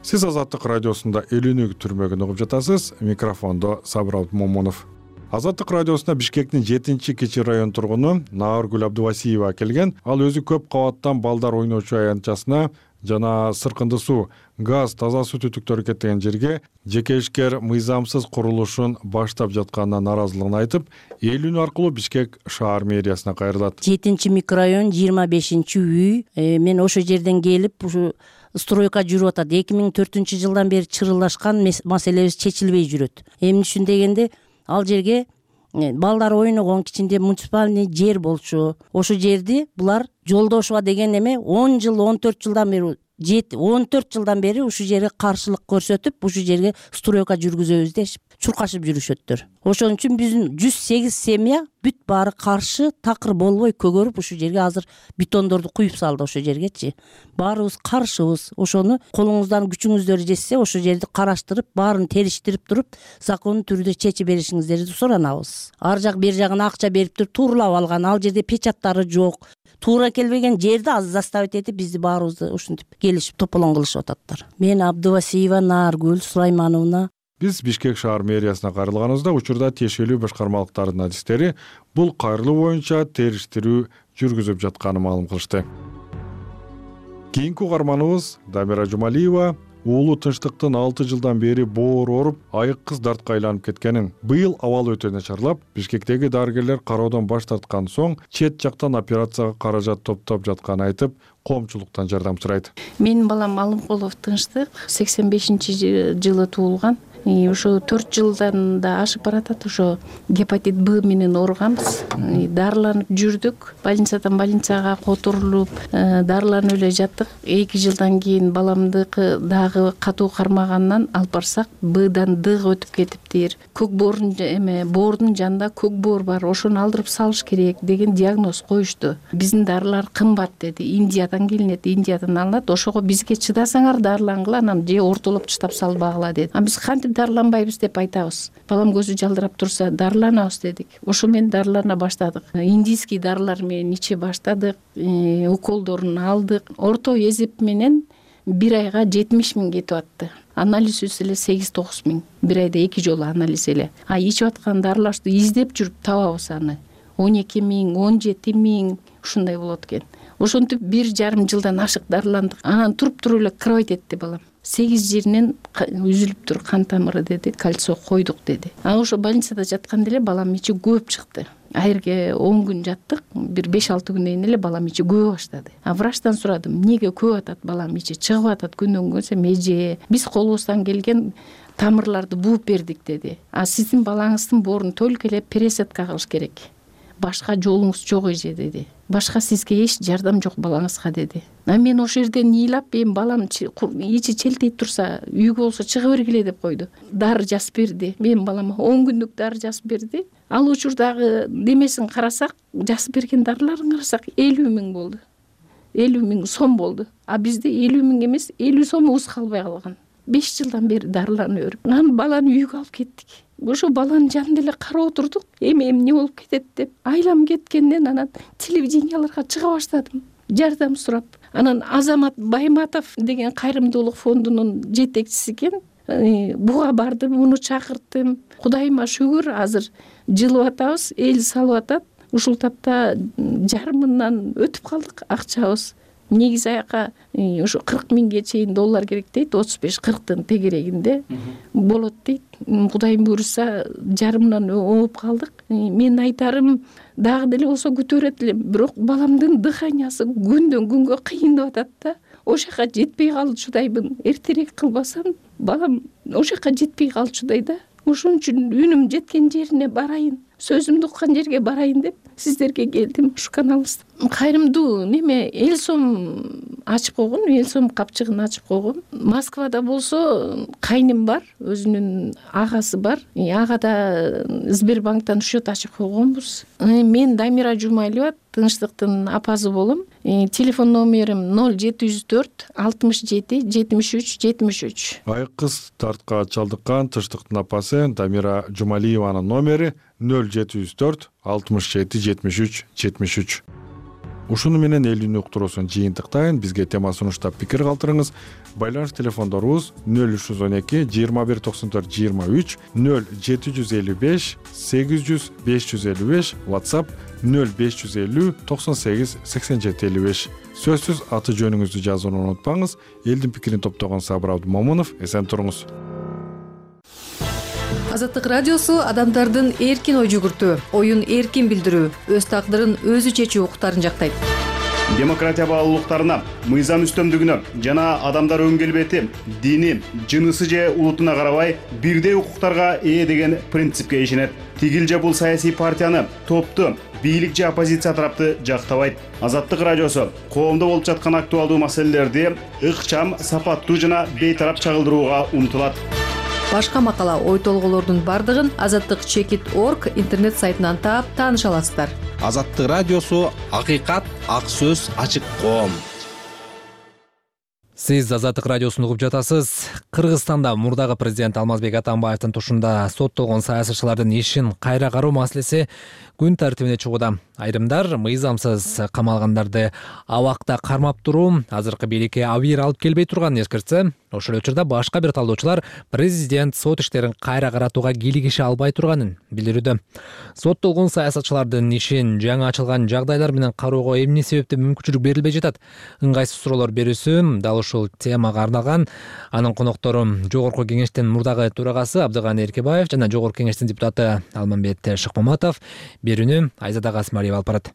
Сиз Азаттык радиосунда элүүнүк түрмөгүн угуп жатасыз. Микрофондо Сабыр Момунов. Азаттык радиосуна Бишкектин 7-кичи район тургуну Нааргүл Абдывасиева келген. Ал өзү көп кабаттан балдар ойночу аянтчасына жана сыркынды суу, газ, таза суу түтүктөрү кеткен жерге жеке ишкер мыйзамсыз курулушун баштап жатканына нааразылыгын айтып, эл үнү аркылуу Бишкек шаар мэриясына кайрылат. 7-микрорайон 25-үй. Мен ошол жерден келип, ушу стройка жүрүп атат. 2004-жылдан бери чырылдашкан маселебиз чечилбей жүрөт. Эмне үчүн дегенде, ал жерге балдар ойногон кичинде муниципальный жер болчу. Ошол жерди булар жолдошуба деген эме 10 жыл, 14 жылдан бери 14 жылдан бери ушул жерге каршылык көрсөтүп, ушул жерге стройка жүргүзөбүз деп чуркашып жүрүшөттөр. Ошон үчүн биздин 108 семья бүт баары каршы, такыр болбой көгөрүп ушул жерге азыр бетондорду куюп салды ошол жергечи. Баарыбыз каршыбыз. Ошону колуңуздан күчүңүздөр жетсе, ошол жерди караштырып, баарын териштирип туруп, закондуу түрдө чечип беришиңиздерди суранабыз. Ар жак бер жагына акча берип туруп тууралап алган, ал жерде печаттары жок. Туура келбеген жерди аз заставить этип бизди баарыбызды ушинтип келишип тополоң кылышып ататтар. Мен Абдывасиева Наргүл Сулаймановна. Биз Бишкек шаар мэриясына кайрылганыбызда учурда тиешелүү башкармалыктардын адистери бул кайрылуу боюнча териштирүү жүргүзүп жатканын маалым кылышты. Кийинки угарманыбыз Дамира Жумалиева уулу тынчтыктын 6 жылдан бери боор ооруп, айык кыз дартка айланып кеткенин, быйыл абалы өтө начарлап, Бишкектеги дарыгерлер кароодон баш тарткан соң чет жактан операцияга каражат топтоп жатканын айтып, коомчулуктан жардам сурайт. Менин балам Алымкулов Тынчтык 85-жылы туулган. Ошо 4 жылдан да ашып баратат. Ошо гепатит Б менен ооруганбыз. Дарыланып жүрдүк. Больницадан больницага которулуп, дарыланып эле жаттык. 2 жылдан кийин баламдыкы дагы катуу кармагандан алып барсак, Бдан Дга өтүп кетиптир. Көк боордун жанында көк боор бар. Ошону алдырып салыш керек деген диагноз коюшту. Биздин дарылар кымбат деди. Индиядан келинет, Индиядан алынат. Ошого бизге чыдасаңар дарылангыла, анан же ортолоп таштап салбагыла деди. Биз кантип дарыланбайбыз деп айтабыз. Балам көзү жалдырап турса, дарыланабыз дедик. Ошо менен дарылана баштадык. Индийский дарылар менен иче баштадык, уколдорун алдык. Орто эсеп менен 1 айга 70 000 кетип атты. Анализ эле 8-9 000. 1 айда 2 жолу анализ эле. Ичип аткан дарыларды издеп жүрүп табабыз аны. 12 000, 17 000 ушундай болот экен. Ошентип 1,5 жылдан ашык дарыландык. Анан туруп эле кровать этти балам. 8 жеринен үзүлүп тур, кан тамыры деди, кальций койдук деди. Ошо больницада жатканда эле балам ичи көөп чыкты. Айырге 10 күн жаттык, бир 5-6 күндөн эле балам ичи көөп баштады. Врачтан сурадым, эмнеге көөп атат балам ичи, чыгып атат күндөн күн, эже биз колубуздан келген тамырларды бууп бердик деди. Сиздин балаңыздын боорун только эле пересадка кылыш керек. Башка жолуңуз жок эже деди. Башка сизге эч жардам жок балаңызга деди. Мен ошол жерден ыйлап, балам ичи челтейип турса, үйгө болсо чыга бергиле деп койду. Дары жазып берди. Мен балама 10 күндүк дары жазып берди. Ал учурдагы немесин карасак, жазып берген дарыларын карасак 50 000 болду. 50 000 сом болду. Бизде 50 000 эмес, 50 сомубуз калбай калган. 5 жылдан бери дарыланып өрүп. Анан баланы үйгө алып кеттик. Ошо баланын жанында эле карап отурдук. Эмне болуп кетет деп. Айлам кеткенден анан телевиденияларга чыга баштадым. Жардам сурап. Анан Азамат Байматов деген кайрымдуулук фондунун жетекчиси экен. Буга бардым, муну чакырттым. Кудайыма шүгүр, азыр жылып атабыз, эл салып атат. Ушул тапта жарымынан өтүп калдык акчабыз. Негизи аяка ошо 40 000 чейин доллар керек дейт, 35-40тын тегерегинде болот дейт. Кудайым буйруса жарымынан ооп калдык. Мен айтарым, дагы деле болсо күтөрөт элем, бирок баламдын дыханиясы күндөн күнгө кыйындап атат да. Ошол жака жетпей калчудайбын. Эртерээк кылбасам, балам ошол жака жетпей калчудай да. Ошон үчүн үнүм жеткен жерине барайын, сөзүмдү уккан жерге барайын деп сиздерге келдим ушу каналыбызда. Кайрымдуу неме эл сом ачып койгон, эл сом капчыгын ачып койгон. Москвада болсо кайным бар, өзүнүн агасы бар. Агада Сбербанктан счет ачып койгонбуз. Мен Дамира Жумалиева, Тынчтыктын апасы болом. Телефон номерим 0704 67 73 73. Айык кыз дартка чалдыккан Тынчтыктын апасы Дамира Жумалиеванын номери 0704 67 73 73. Ушуну менен эл үнү уктуруусун жыйынтыктайын. Бизге тема сунуштап пикир калтырыңыз. Байланыш телефондорубуз 0312 21 94 23, 0755 800 555, WhatsApp 0550 98 87 55. Сөзсүз аты жөнүңүздү жазууну унутпаңыз. Элдин пикирин топтогон Сабыр Абдумомунов, эсен туруңуз. Азаттык радиосу адамдардын эркин ой жүгүртүү, оюн эркин билдирүү, өз тагдырын өзү чечүү укуктарын жактайт. Демократия баалуулуктарына, мыйзам үстөмдүгүнө жана адамдар өн келбети, дини, жынысы же улутуна карабай бирдей укуктарга ээ деген принципке ишенет. Тигил же бул саясий партияны, топту, бийлик же оппозиция тарапты жактабайт. Азаттык радиосу коомдо болуп жаткан актуалдуу маселелерди ыкчам, сапаттуу жана бейтарап чагылдырууга умтулат. Башка макала, ой толгоолордун бардыгын azattik.org интернет сайтынан таап тааныша аласыздар. Азаттык радиосу акыйкат, ак сөз, ачык коом. Сиз Азаттык радиосун угуп жатасыз. Кыргызстанда мурдагы президент Алмазбек Атамбаевдин тушунда соттолгон саясатчылардын ишин кайра кароо маселеси күн тартибине чыгууда. Айрымдар мыйзамсыз камалгандарды абакта кармап туруу азыркы бийликке абийир алып келбей турганын эскертсе, ошол учурда башка бир талдоочулар президент сот иштерин кайра каратууга кийлигише албай турганын билдирүүдө. Соттолгон саясатчылардын ишин жаңы ачылган жагдайлар менен кароого эмне себептен мүмкүнчүлүк берилбей жатат? Ыңгайсыз суроолор берүүсү дал ушул темага арналган. Анын коноктору Жогорку кеңештин мурдагы төрагасы Абдыганы Эркебаев жана Жогорку кеңештин депутаты Алмамбет Шыкмаматов. Берүүнү Айзада Касымалиева алып барат.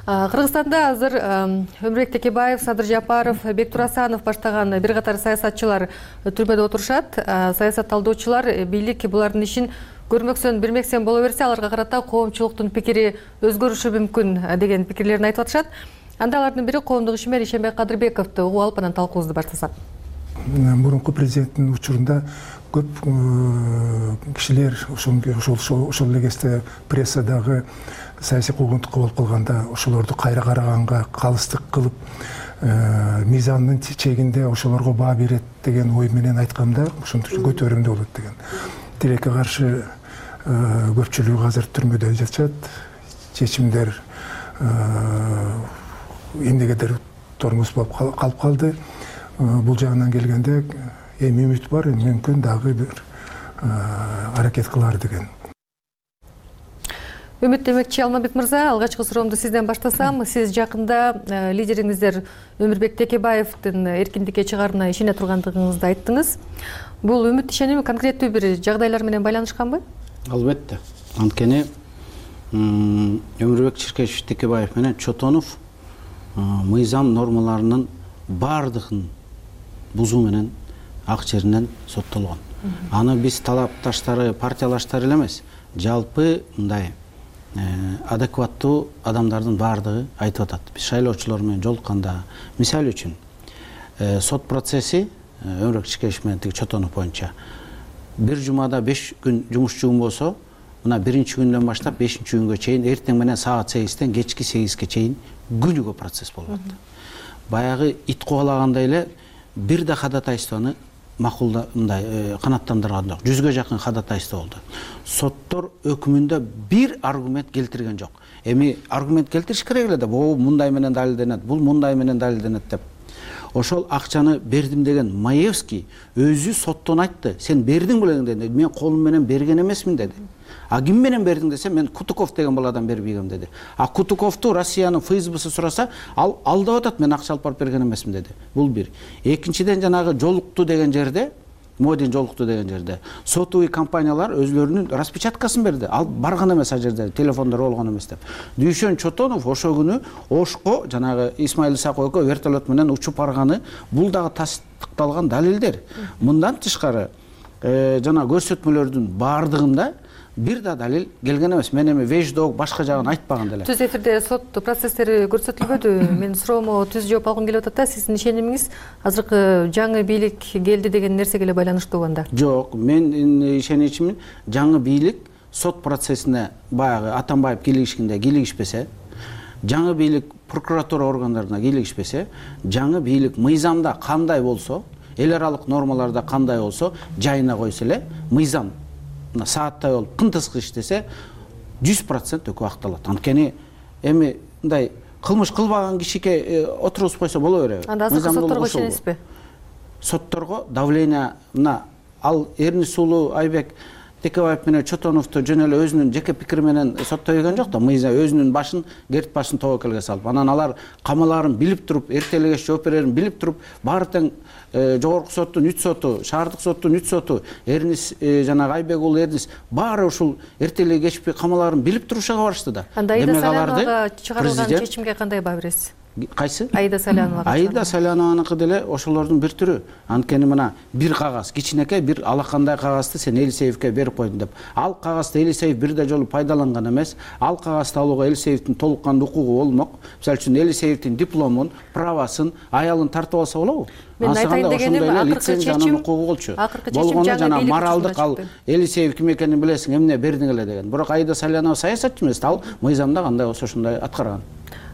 Кыргызстанда азыр Өмүрбек Текебаев, Садыр Жапаров, Бектур Асанов баштаган бир катар саясатчылар түрмөдө отурушат. Саясат талдоочулар бийлик булардын ишин көрмөксөн, билмексен боло берсе, аларга карата коомчулуктун пикири өзгөрүшү мүмкүн деген пикирлерин айтып атышат. Анда алардын бири коомдук ишмер Ишенбек Кадырбековду угуп алып анан талкуубузду баштасак. Мурунку президенттин учурунда көп кишилер ошол эле кезде прессадагы саясий куугунтукка болуп калганда ошолорду кайра караганга калыстык кылып, мыйзамдын чегинде ошолорго баа берет деген ой менен айтканда ошентип көтөрүмдүү болот деген. Тилекке каршы көпчүлүгү азыр түрмөдө жатышат. Чечимдер эмнегедир тормоз болуп калып калды. Бул жагынан келгенде эми үмүт бар, мүмкүн дагы бир аракет кылар деген. Үмүт демекчи Алмамбет мырза, алгачкы суроомду сизден баштасам. Сиз жакында лидериңиздер Өмүрбек Текебаевдин эркиндикке чыгаарына ишене тургандыгыңызды айттыңыз. Бул үмүт ишеними конкреттүү бир жагдайлар менен байланышканбы? Албетте. Анткени Өмүрбек Чиркешевич Текебаев менен Чотонов мыйзам нормаларынын бардыгын бузуу менен ак жеринен соттолгон. Аны биз талапташтары, партиялаштары эле эмес, жалпы мындай адекваттуу адамдардын бардыгы айтып атат. Биз шайлоочулар менен жолукканда, мисал үчүн, сот процесси Өмүрбек Чиркешев менен Чотонов боюнча бир жумада 5 күн жумушчугум болсо, мына биринчи күндөн баштап 5-чи күнгө чейин, эртең менен саат 8-тен кечки 8-ке чейин күнүгө процесс болуп атты. Баягы ит кубалагандай эле бир да ходатайствону макулдай канаттандырган жок. 100га жакын ходатайство болду. Соттор өкүмүндө бир аргумент келтирген жок. Эми аргумент келтириш керек эле да, бул мындай менен далилденет, бул мындай менен далилденет деп. Ошол акчаны бердим деген Маевский өзү соттон айтты. Сен бердиң белең деди. Мен колум менен берген эмесмин деди. А ким менен бердиң десе, мен Кутуков деген бул адам бербейгем деди. А Кутуковду Россиянын ФСБсы сураса, ал алдап атат, мен акча алып барып берген эмесмин деди. Бул бир. Экинчиден жанагы жолукту деген жерде, Модин жолукту деген жерде сотовый компаниялар өзлөрүнүн распечаткасын берди. Ал барган эмес а жерде, телефондор болгон эмес деп. Дүйшөн Чотонов ошол күнү Ошко жанагы Исмаил Исаков экөө вертолет менен учуп барганы, бул дагы тастыкталган далилдер. Мындан тышкары жана көрсөтмөлөрдүн бардыгында бир да далил келген эмес. Мен эми веждок башка жагын айтпаган деле. Түз эфирде сот процесстери көрсөтүлбөдү. Мен суроомо түз жооп алгым келип атат да, сиздин ишенимиңиз азыркы жаңы бийлик келди деген нерсеге эле байланыштуу анда? Жок, мен ишеничимин жаңы бийлик сот процессине баягы Атамбаев кийлигишкенде кийлигишпесе, жаңы бийлик прокуратура органдарына кийлигишпесе, жаңы бийлик мыйзамда кандай болсо, эл аралык нормаларда кандай болсо, жайына койсо эле, мыйзам сааттай болуп кынтыскы иштесе 100% өкү акталат. Анткени эми мындай кылмыш кылбаган кишиге отургузуп койсо боло береби? Анда азыркы сотторго ишенесизби? Сотторго давление мына ал Эрнис уулу Айбек Текебаев менен Чотоновду жөн эле өзүнүн жеке пикири менен соттой келген жок да, мыйзам өзүнүн башын керт башын тобокелге салып, анан алар камаларын билип туруп, эртең эле жооп берерин билип туруп, баары тең жогорку соттун 3 соту, шаардык соттун 3 соту, Эрнис жанагы Айбек уулу Эрнис баары ушул эртең эле кечпей камаларын билип турушуга барышты да. Анда Аида Саляновага чыгарылган чечимге кандай баа бересиз? Кайсы? Аида Саляновага. Аида Салянованыкы деле ошолордун бир түрү. Анткени мына бир кагаз, кичинекей бир алакандай кагазды сен Элисеевке берип койдуң деп. Ал кагазды Элисеев бирде жолу пайдаланган эмес. Ал кагазды алууга Элисеевдин толук кандуу укугу болмок. Мисалы үчүн Элисеевдин дипломун, правасын, аялын тартып алса болобу? Мен айтайын дегеним акыркы чечим укугу болчу. Болгону жана моралдык ал Элисеев ким экенин билесиң, эмне бердиң эле деген. Бирок Аида Салянова саясатчы эмес, ал мыйзамда кандай болсо ошондой аткарган.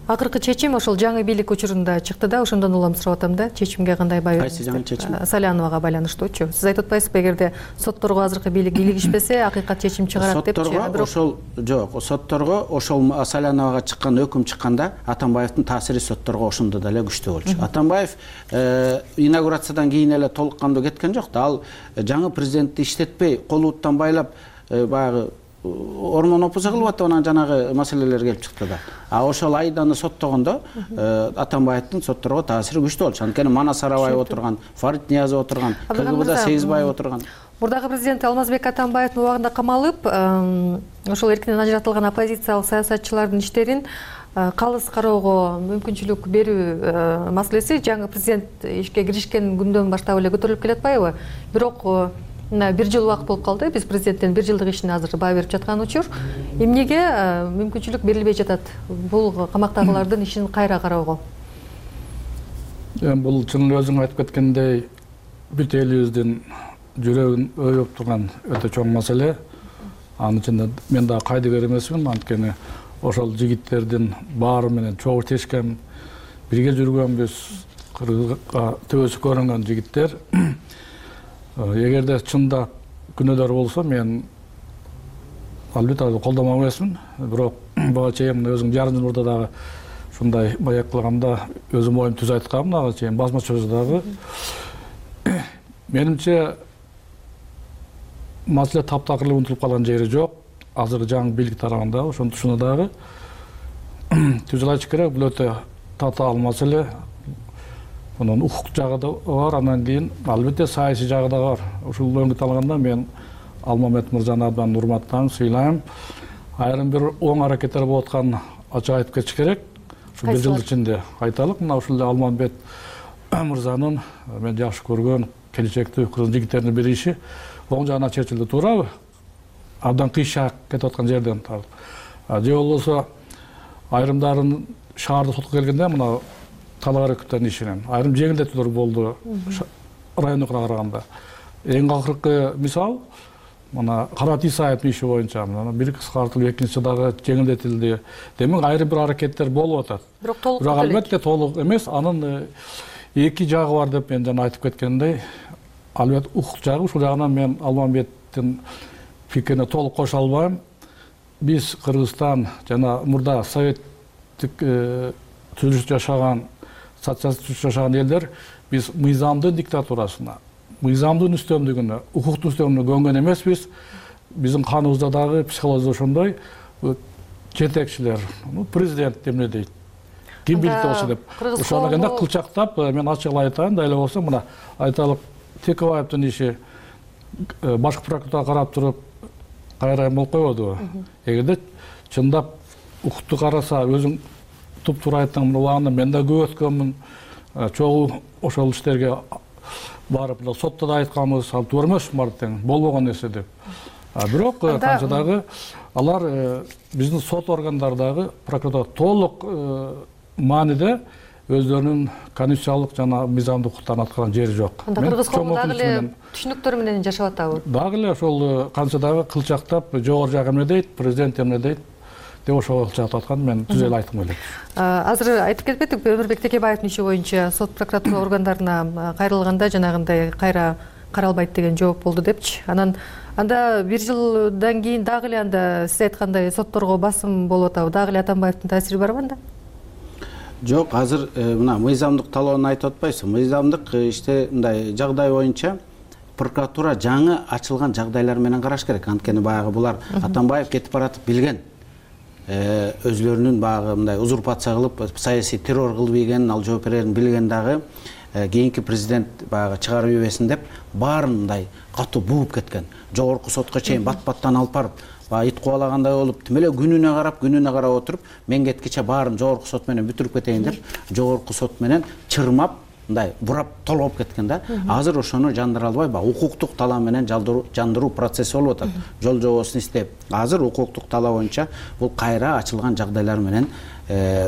Акыркы чечим ошол жаңы бийлик учурунда чыкты да, ошондон улам сурап атам да, чечимге кандай баа бересиз? Кайсы жаңы чечим? Саляновага байланыштуучу. Сиз айтып атпайсызбы, эгерде сотторго азыркы бийлик илигишпесе, акыйкат чечим чыгарат депчи. Сотторго ошол жок, сотторго ошол Саляновага чыккан өкүм чыкканда Атамбаевдин таасири сотторго ошондо деле күчтүү болчу. Атамбаев инаугурациядан кийин эле толук кандуу кеткен жок да, ал жаңы президентти иштетпей, кол уттан байлап баягы ормон опуза кылып атып анан жанагы маселелер келип чыкты да. А ошол Аиданы соттогондо Атамбаевдин сотторго таасири күчтүү болчу. Анткени Манас Арабаев отурган, Фарид Ниязов отурган, КГБда Сегизбаев отурган. Мурдагы президент Алмазбек Атамбаевдин убагында камалып, ошол эркинен ажыратылган оппозициялык саясатчылардын иштерин калыс кароого мүмкүнчүлүк берүү маселеси жаңы президент ишке киришкен күндөн баштап эле көтөрүлүп келатпайбы? Бирок бир жыл убакыт болуп калды, биз президенттин бир жылдык ишине азыр баа берип жаткан учур. Эмнеге мүмкүнчүлүк берилбей жатат бул камактагылардын ишин кайра кароого? Бул чын өзүң айтып кеткендей бүт элибиздин жүрөгүн өйөп турган өтө чоң маселе. Анын ичинде мен да кайдыгер эмесмин, анткени ошол жигиттердин баары менен чогуу тешкен, бирге жүргөнбүз, Кыргызга төбөсү көрүнгөн жигиттер. Эгерде чында күнөөдөр болсо, мен албетте колдомок эмесмин. Бирок буга чейин өзүң жарым жыл мурда дагы ушундай баяк кылганда өзүм оюм түз айткам, ага чейин басма чөждөгү. Менимче маселе таптакыр унутулуп калган жери жок. Азыр жаңы бийлик тарабында ошону дагы түз айтыш керек. Бул өтө татаал маселе. Bunun укук жагы да бар, анан кийин албетте саясий жагы да бар. Ушул өңгүт алганда мен Алмамет мырзаны абдан урматтайм, сыйлайм. Айрым бир оң аракеттер болуп атканын ачык айтып кетиш керек. Ушул бир жыл ичинде айталык. Мына ушул Алмамет мырзанын мен жакшы көргөн келечекте кыргыз жигиттеринин бир иши оң жагына чечилди, туурабы? Абдан кыйшак кетип аткан жерден тартып. Же болбосо айрымдарын шаардык сотко келгенде мына талаар өкүттөрдүн ишинен айрым жеңилдетүүлөр болду райондук караганда. Эң акыркы мисал мына Карат Исаевдин иши боюнча бир кыскартылып, экинчи дагы жеңилдетилди. Демек айрым бир аракеттер болуп атат. Бирок албетте толук эмес, анын эки жагы бар деп мен жана айтып кеткендей, албетте укук жагы, ушул жагынан мен Алмамбеттин пикирине толук кошо албайм. Биз Кыргызстан жана мурда советтик түзүлүш жашаган, социалистик жашаган элдер биз мыйзамдын диктатурасына, мыйзамдын үстөмдүгүнө, укуктун үстөмдүгүнө көнгөн эмеспиз. Биздин каныбызда дагы психология ошондой. Жетекчилер, президент эмне дейт, ким билет болсо деп. Ошону келгенде кылчактап, мен ачык айтайын, да эле болсо мына айталык Текебаевдин иши башкы прокуратура карап туруп кайрайым болуп койбодубу? Эгерде чындап укукту караса, өзүң туп-туура айттың, убагында мен да көп өткөнмүн. Чогуу ошол иштерге барып, сотто да айтканбыз, ал туура эмес тең болбогон нерсе деп. Бирок канча дагы алар биздин сот органдардагы прокуратура толук мааниде өздөрүнүн конституциялык жана мыйзамдык укуктарын аткарган жери жок. Анда кыргыз коому дагы эле түшүнүктөр менен жашап атабы? Дагы эле ошол канча дагы кылчактап, жогору жак эмне дейт, президент эмне дейт деп ошого кылчактап аткан мен түз эле айткым келет. Азыр айтып кетпедикпи, Өмүрбек Текебаевдин иши боюнча сот прокуратура органдарына кайрылганда жанагындай кайра каралбайт деген жооп болду депчи. Анан анда бир жылдан кийин дагы эле анда сиз айткандай сотторго басым болуп атабы? Дагы эле Атамбаевдин таасири барбы анда? Жок, азыр мына мыйзамдык талоонун айтып атпайсызбы? Мыйзамдык иште мындай жагдай боюнча прокуратура жаңы ачылган жагдайлар менен караш керек. Анткени баягы булар Атамбаев кетип баратып билген. Өзлөрүнүн баягы мындай узурпация кылып, саясий террор кылып ийгенин, ал жооп берерин билген дагы кийинки президент баягы чыгарып ийбесин деп баарын мындай катуу бууп кеткен. Жогорку сотко чейин бат-баттан алып барып, ит кубалагандай болуп, тим эле күнүнө карап отуруп, мен кеткиче баарын жогорку сот менен бүтүрүп кетейин деп, жогорку сот менен чырмап, мындай бурап толгоп кеткен да. Азыр ошону жандыра албай, укуктук талаа менен жандыруу процесси болуп атат. Жол жобосун издеп, азыр укуктук талаа боюнча бул кайра ачылган жагдайлар менен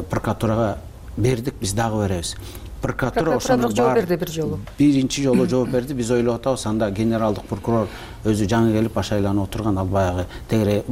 прокуратурага бердик, биз дагы беребиз. Прокуратура ошону жооп берди бир жолу. Биринчи жолу жооп берди. Биз ойлоп атабыз, анда генералдык прокурор өзү жаңы келип ашайланып отурган, ал баягы тегере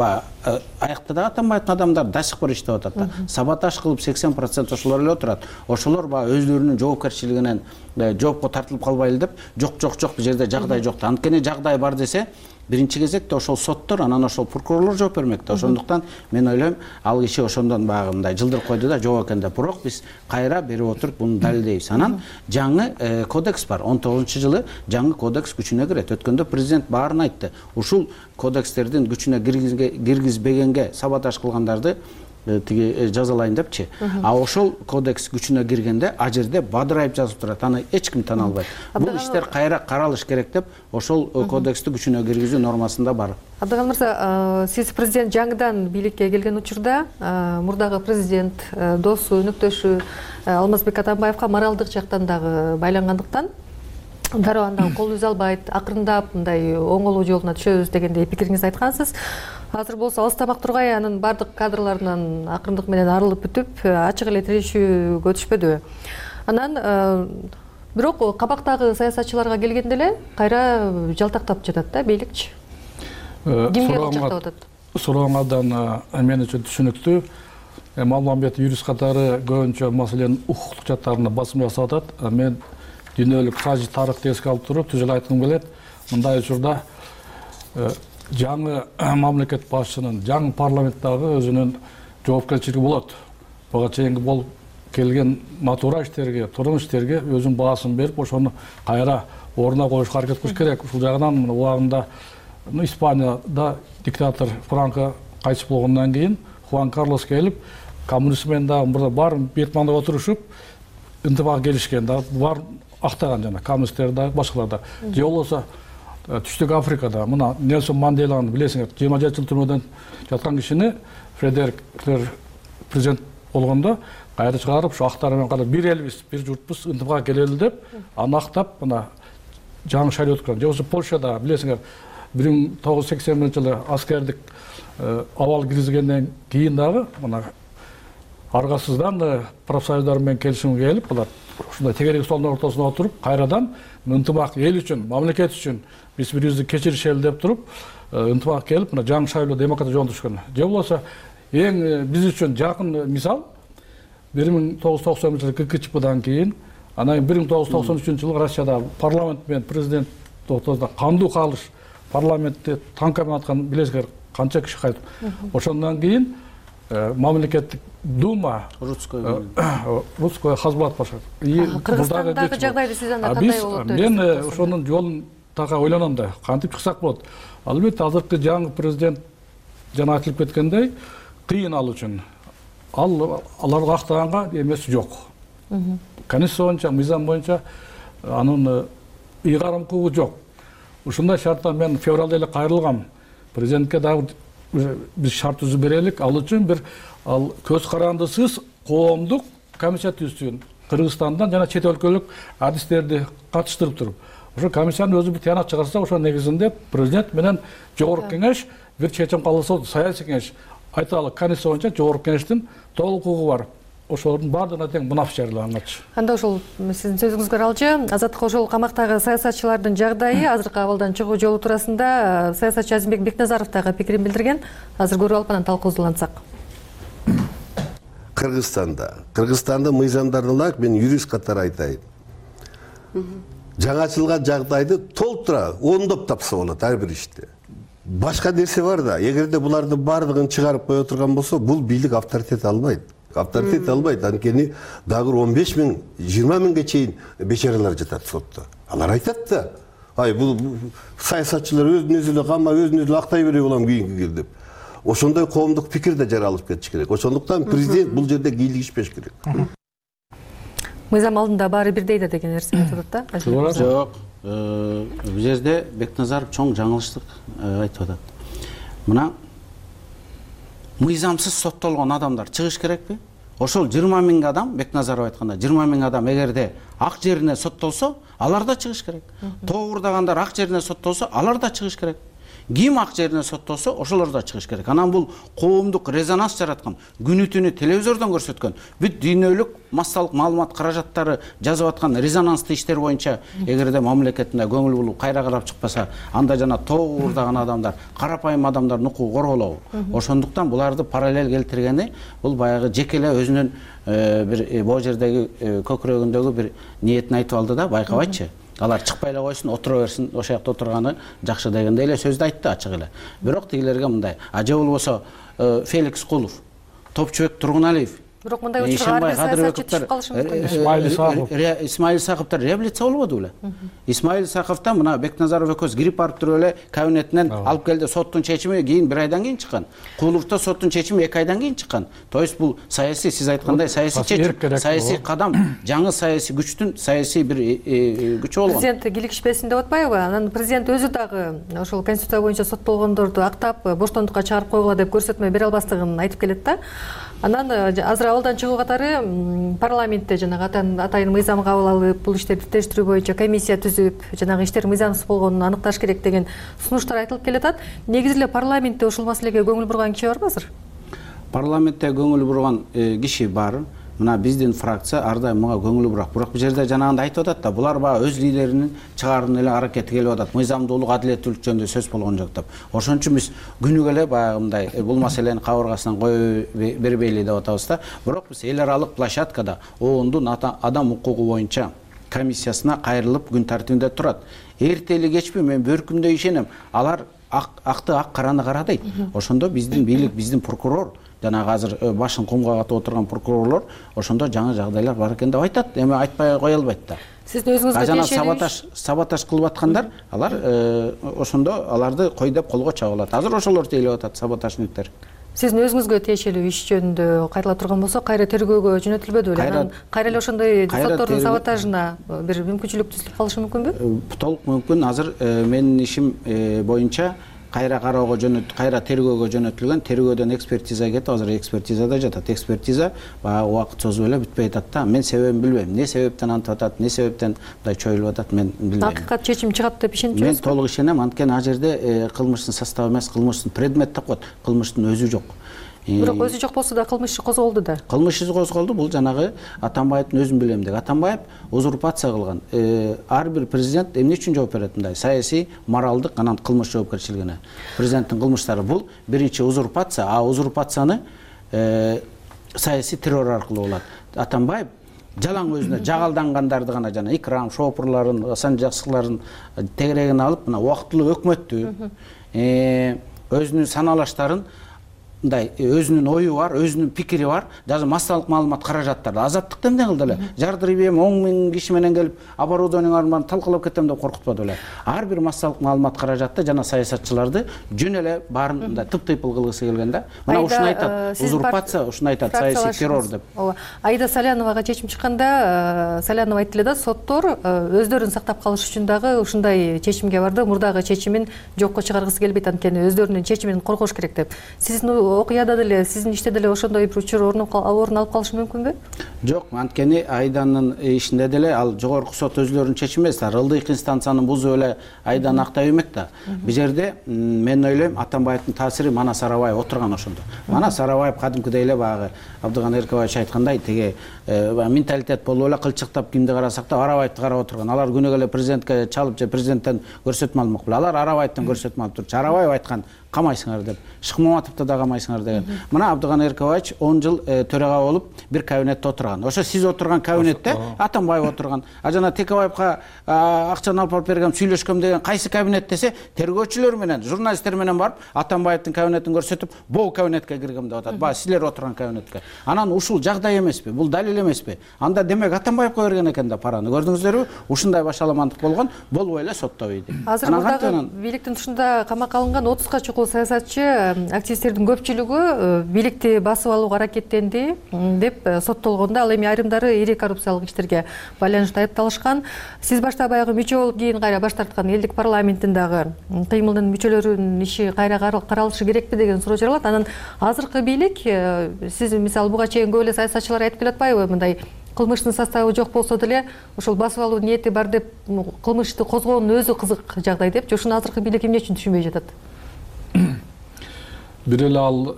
аякта да Атамбаевдин адамдары до сих пор иштеп атат да. Саботаж кылып 80% ошолор эле отурат. Ошолор баягы өздөрүнүн жоопкерчилигинен жоопко тартылып калбайлы деп, жок бул жерде жагдай жок да. Анткени жагдай бар десе, биринчи кезекте ошол соттор, анан ошол прокурорлор жооп бермек да. Ошондуктан мен ойлойм, ал киши ошондон баягы мындай жылдырып койду да, жок экен деп. Бирок биз кайра берип отуруп буну далилдейбиз. Анан жаңы кодекс бар. 19-жылы жаңы кодекс күчүнө кирет. Өткөндө президент баарын айтты. Ушул кодекстердин күчүнө киргизбегенге саботаж кылгандарды тиги жазалайын депчи. А ошол кодекс күчүнө киргенде а жерде бадырайып жазып турат. Аны эч ким тана албайт. Бул иштер кайра каралыш керек деп ошол кодексти күчүнө киргизүү нормасында бар. Абдыгал мырза, сиз президент жаңыдан бийликке келген учурда мурдагы президент досу, өнөктөшү Алмазбек Атамбаевка моралдык жактан дагы байлангандыктан дароо андан кол үз албайт, акырындап мындай оңолуу жолуна түшөбүз дегендей пикириңизди айткансыз. Азыр болсо алыстамак тургай анын бардык кадрларынан акырындык менен арылып бүтүп, ачык эле тирешүүгө өтүшпөдүбү. Анан бирок кабактагы саясатчыларга келгенде эле кайра жалтактап жатат да бийликчи. Кимге жалтактап атат? Сурооңардан мен үчүн түшүнүктүү. Маалымбет юрист катары көбүнчө маселенин укуктук жактарына басым жасап атат. Мен дүйнөлүк сажи тарыхты эске алып туруп түз эле айткым келет. Мындай учурда жаңы мамлекет башчынын, жаңы парламенттагы өзүнүн жоопкерчилиги болот. Буга чейинки болуп келген натура иштерге, турмуш иштерге өзүнүн баасын берип, ошону кайра ордуна коюшка аракет кылыш керек. Ушул жагынан убагында Испанияда диктатор Франко кайтыш болгондон кийин Хуан Карлос келип, коммунист менен дагы мурда баарын Бетманда отурушуп, ынтымак келишкен да, бар актаган жана коммунисттер да, башкалар да. Же болбосо Түштүк Африкада мына Нельсон Манделаны билесиңер, 27 жыл түрмөдөн жаткан кишини Фредерик президент болгондо кайра чыгарып, ушу актар менен катар бир элбиз, бир журтпуз, ынтымакка келели деп, аны актап мына жаңы шайлоо өткөргөн. Же болбосо Польшада билесиңер, 1980 жылы аскердик абал киргизгенден кийин дагы мына аргасыздан профсоюздар менен келишимге келип, булар ушундай тегерек столдун ортосуна отуруп, кайрадан ынтымак эл үчүн, мамлекет үчүн биз бирибизди кечиришели деп туруп, ынтымак келип, мына жаңы шайлоо демократия жолун түшкөн. Же болбосо эң биз үчүн жакын мисал 1990 жылы ККЧПдан кийин, анан 1993 жылы Россияда парламент менен президент ортосунда кандуу калыш, парламентте танка менен аткан билесиңер канча киши кайтып. Ошондон кийин мамлекеттик дума русское хазбат башкарат. Кыргызстандагы жагдайды сиз анда кандай болот деп? Мен ошонун жолун така ойлоном да, кантип чыксак болот. Албетте азыркы жаңы президент жана айтылып кеткендей кыйын ал үчүн. Аларга актаганга эмеси жок. Конституция боюнча, мыйзам боюнча анын ыйгарым кылуу жок. Ушундай шартта мен февралда эле кайрылгам. Президентке дагы биз шарт түзүп берелик. Ал үчүн бир көз карандысыз коомдук комиссия түзсүн. Кыргызстандан жана чет өлкөлүк адистерди катыштырып туруп. Ошо комиссиянын өзү бир тыянак чыгарса, ошо негизинде президент менен жогорку кеңеш бир чечим кабыл алса, саясий кеңеш айталы конституция боюнча жогорку кеңештин толук укугу бар. Ошолордун баардыгына тең мунаф жарыялангачы. Анда ошол сиздин сөзүңүзгө аралчы, Азаттык ошол камактагы саясатчылардын жагдайы, азыркы абалдан чыгуу жолу туурасында саясатчы Азимбек Бекназаров дагы пикирин билдирген. Азыр көрүп алып анан талкуусулансак. Кыргызстанда мыйзамдарды ылайык мен юрист катары айтайын. Жаңачылган жагдайды толтура оңдоп тапса болот ар бир иште. Башка нерсе бар да, эгерде булардын баардыгын чыгарып кое турган болсо, бул бийлик авторитет албайт. Анткени дагы 15 миң, 20 миңге чейин бечаралар жатат сотто. Алар айтат да, бул саясатчылар өзүн өзү эле камап, өзүн өзү актай бере улам кийинки кел деп. Ошондой коомдук пикир да жаралып кетиш керек. Ошондуктан президент бул жерде кийлигишпеш керек. Мыйзам алдында баары бирдей да деген нерсени айтып атат да. Жок. Бул жерде Бекназаров чоң жаңылыштык айтып атат. Мына мыйзамсыз соттолгон адамдар чыгыш керекпи? Ошол 20 миң адам, Бекназаров айтканда 20 миң адам эгерде ак жерине соттолсо, алар да чыгыш керек. Тоогурдагандар ак жерине соттолсо, алар да чыгыш керек. Ким ак жерине соттолсо, ошолор да чыгыш керек. Анан бул коомдук резонанс жараткан, күнү түнү телевизордон көрсөткөн, бүт дүйнөлүк массалык маалымат каражаттары жазып аткан резонанстуу иштер боюнча эгерде мамлекетинде көңүл булуп кайра карап чыкпаса, анда жана тоогурдаган адамдар, карапайым адамдардын укугу корголобу. Ошондуктан буларды параллель келтиргени бул баягы жеке эле өзүнүн бир бул жердеги көкүрөгүндөгү бир ниетин айтып алды да, байкабайчы. Алар чыкпай эле койсун, отура берсин, ошол жакта отурганы жакшы дегендей эле сөздү айтты ачык эле. Бирок тигилерге мындай, же болбосо Феликс Кулов, Топчубек Тургуналиев, Бирок мындай учурга саясатчы түшүп калышы мүмкүн. Исмаил Сакыптар реабилитация болбоду беле? Исмаил Сакыптан мына Бекназаров экөөбүз грипп алып туруп эле кабинетинен алып келди, соттун чечими кийин 1 айдан кийин чыккан. Куловто соттун чечими 2 айдан кийин чыккан. То есть бул саясий, сиз айткандай саясий чечим, саясий кадам, жаңы саясий күчтүн саясий бир күчү болгон. Президент кийлигишпесин деп атпайбы? Анан президент өзү дагы ошол конституция боюнча соттолгондорду актап, боштондукка чыгарып койгула деп көрсөтмө бере албастыгын айтып келет да. Анан азыр абалдан чыгуу катары парламентте жанагы атайын мыйзам кабыл алып, бул иштерди тештирүү боюнча комиссия түзүп, жанагы иштер мыйзамсыз болгонун аныкташ керек деген сунуштар айтылып келатат. Негизи эле парламентте ушул маселеге көңүл бурган киши барбы азыр? Парламентте көңүл бурган киши бар. Мына биздин фракция ар дайым мага көңүл бурат. Бирок бул жерде жанагындай айтып атат да, булар баягы өз лидеринин чыгаарын эле аракети келип атат. Мыйзамдуулук, адилеттүүлүк жөнүндө сөз болгон жок деп. Ошон үчүн биз күнүгө эле баягы мындай бул маселени кабыргасынан кое бербейли деп атабыз да. Бирок биз эл аралык площадкада ООНдун адам укугу боюнча комиссиясына кайрылып күн тартибинде турат. Эртели кечпи мен бөркүмдө ишенем. Алар акты ак, караны кара дейт. Ошондо биздин бийлик, биздин прокурор, жанагы азыр башын кумга катып отурган прокурорлор ошондо жаңы жагдайлар бар экен деп айтат. Эми айтпай кое албайт да. Сиздин өзүңүзгө жана саботаж кылып аткандар, алар ошондо аларды кой деп колго чабылат. Азыр ошолор тейлеп атат, саботажниктер. Сиздин өзүңүзгө тиешелүү иш жөнүндө кайрыла турган болсо, кайра тергөөгө жөнөтүлбөдү беле? Кайра эле ошондой соттордун саботажына бир мүмкүнчүлүк түзүлүп калышы мүмкүнбү? Толук мүмкүн. Азыр менин ишим боюнча кайра кароого кайра тергөөгө жөнөтүлгөн, тергөөдөн экспертиза кетип, азыр экспертизада жатат. Экспертиза баягы убакыт созуп эле бүтпөй атат да. Мен себебин билбейм. Эмне себептен антип атат, эмне себептен мындай чоюлуп атат, мен билбейм. Акыйкат чечим чыгат деп ишенчүсүзбү? Мен толук ишенем, анткени ал жерде кылмыштын составы эмес, кылмыштын предмет деп коет, кылмыштын өзү жок. Бирок өзү жок болсо да кылмыш козголду да. Кылмыш козголду, бул жанагы Атамбаевдин өзүн билем деги. Атамбаев узурпация кылган. Ар бир президент эмне үчүн жооп берет мындай? Саясий, моралдык, анан кылмыш жоопкерчилигине. Президенттин кылмыштары бул биринчи узурпация, а узурпацияны саясий террор аркылуу болот. Атамбаев жалаң өзүнө жагалдангандарды гана жана Икрам Шопурларын, Асан Жаксыларын тегерегине алып, мына убактылуу өкмөттү, өзүнүн саналаштарын мындай өзүнүн ою бар, өзүнүн пикири бар, даже массалык маалымат каражаттарды азаттыкта эмне кылды эле? Жардырып эм 10 000 киши менен келип оборудованияларын талкалап кетем деп коркутпады эле. Ар бир массалык маалымат каражатты жана саясатчыларды жөн эле баарын мындай тып-тыйпыл кылгысы келген да. Мына ушуну айтат, узурпация, ушуну айтат, саясий террор деп. Ооба. Аида Саляновага чечим чыкканда, Салянова айтты эле да, соттор өздөрүн сактап калыш үчүн дагы ушундай чечимге барды. Мурдагы чечимин жокко чыгаргысы келбейт, анткени өздөрүнүн чечимин коргош керек деп. Сиздин окуяда деле, сиздин иште деле ошондой бир учур орун алып калышы мүмкүнбү? Жок, анткени Айданын ишинде деле ал жогорку сот өзлөрүнүн чечими эмес, ылдыйкы инстанцияны бузуп эле Айданы актай бермек да. Бул жерде мен ойлойм, Атамбаевдин таасири Манас Арабаев отурган ошондо. Манас Арабаев кадимкидей эле баягы Абдыган Эркебаевич айткандай, теге менталитет болуп эле кылчыктап кимди карасак да Арабаевди карап отурган. Алар күнүгө эле президентке чалып же президенттен көрсөтмө алмак беле. Алар Арабаевден көрсөтмө алып турчу. Арабаев айткан камайсыңар деп, Шыкмаматовду да камайсыңар деген. Мына Абдыган Эркебаевич 10 жыл төрага болуп бир кабинетте отурган. Ошо сиз отурган кабинетте Атамбаев отурган. А жана Текебаевга акчаны алып бергем, сүйлөшкөм деген кайсы кабинет десе, тергөөчүлөр менен, журналисттер менен барып Атамбаевдин кабинетин көрсөтүп, бул кабинетке киргем деп атат. Баягы силер отурган кабинетке. Анан ушул жагдай эмеспи? Бул далил эмеспи? Анда демек Атамбаевга берген экен да параны. Көрдүңүздөрбү? Ушундай башаламандык болгон, болбой эле соттобойт. Азыр мурдагы бийликтин тушунда камакка алынган 30га чукул саясатчы активисттердин көпчүлүгү бийликти басып алууга аракеттенди деп соттолгондо, ал эми айрымдары ири коррупциялык иштерге байланыштуу айыпталышкан. Сиз башта баягы мүчө болуп кийин кайра баш тарткан элдик парламенттин дагы кыймылдын мүчөлөрүнүн иши кайра каралышы керекпи деген суроо жаралат. Анан азыркы бийлик, сиз мисалы буга чейин көп эле саясатчылар айтып келатпайбы, мындай кылмыштын составы жок болсо деле ошол басып алуу ниети бар деп кылмышты козгоонун өзү кызык жагдай депчи. Ушуну азыркы бийлик эмне үчүн түшүнбөй жатат? Бир эле ал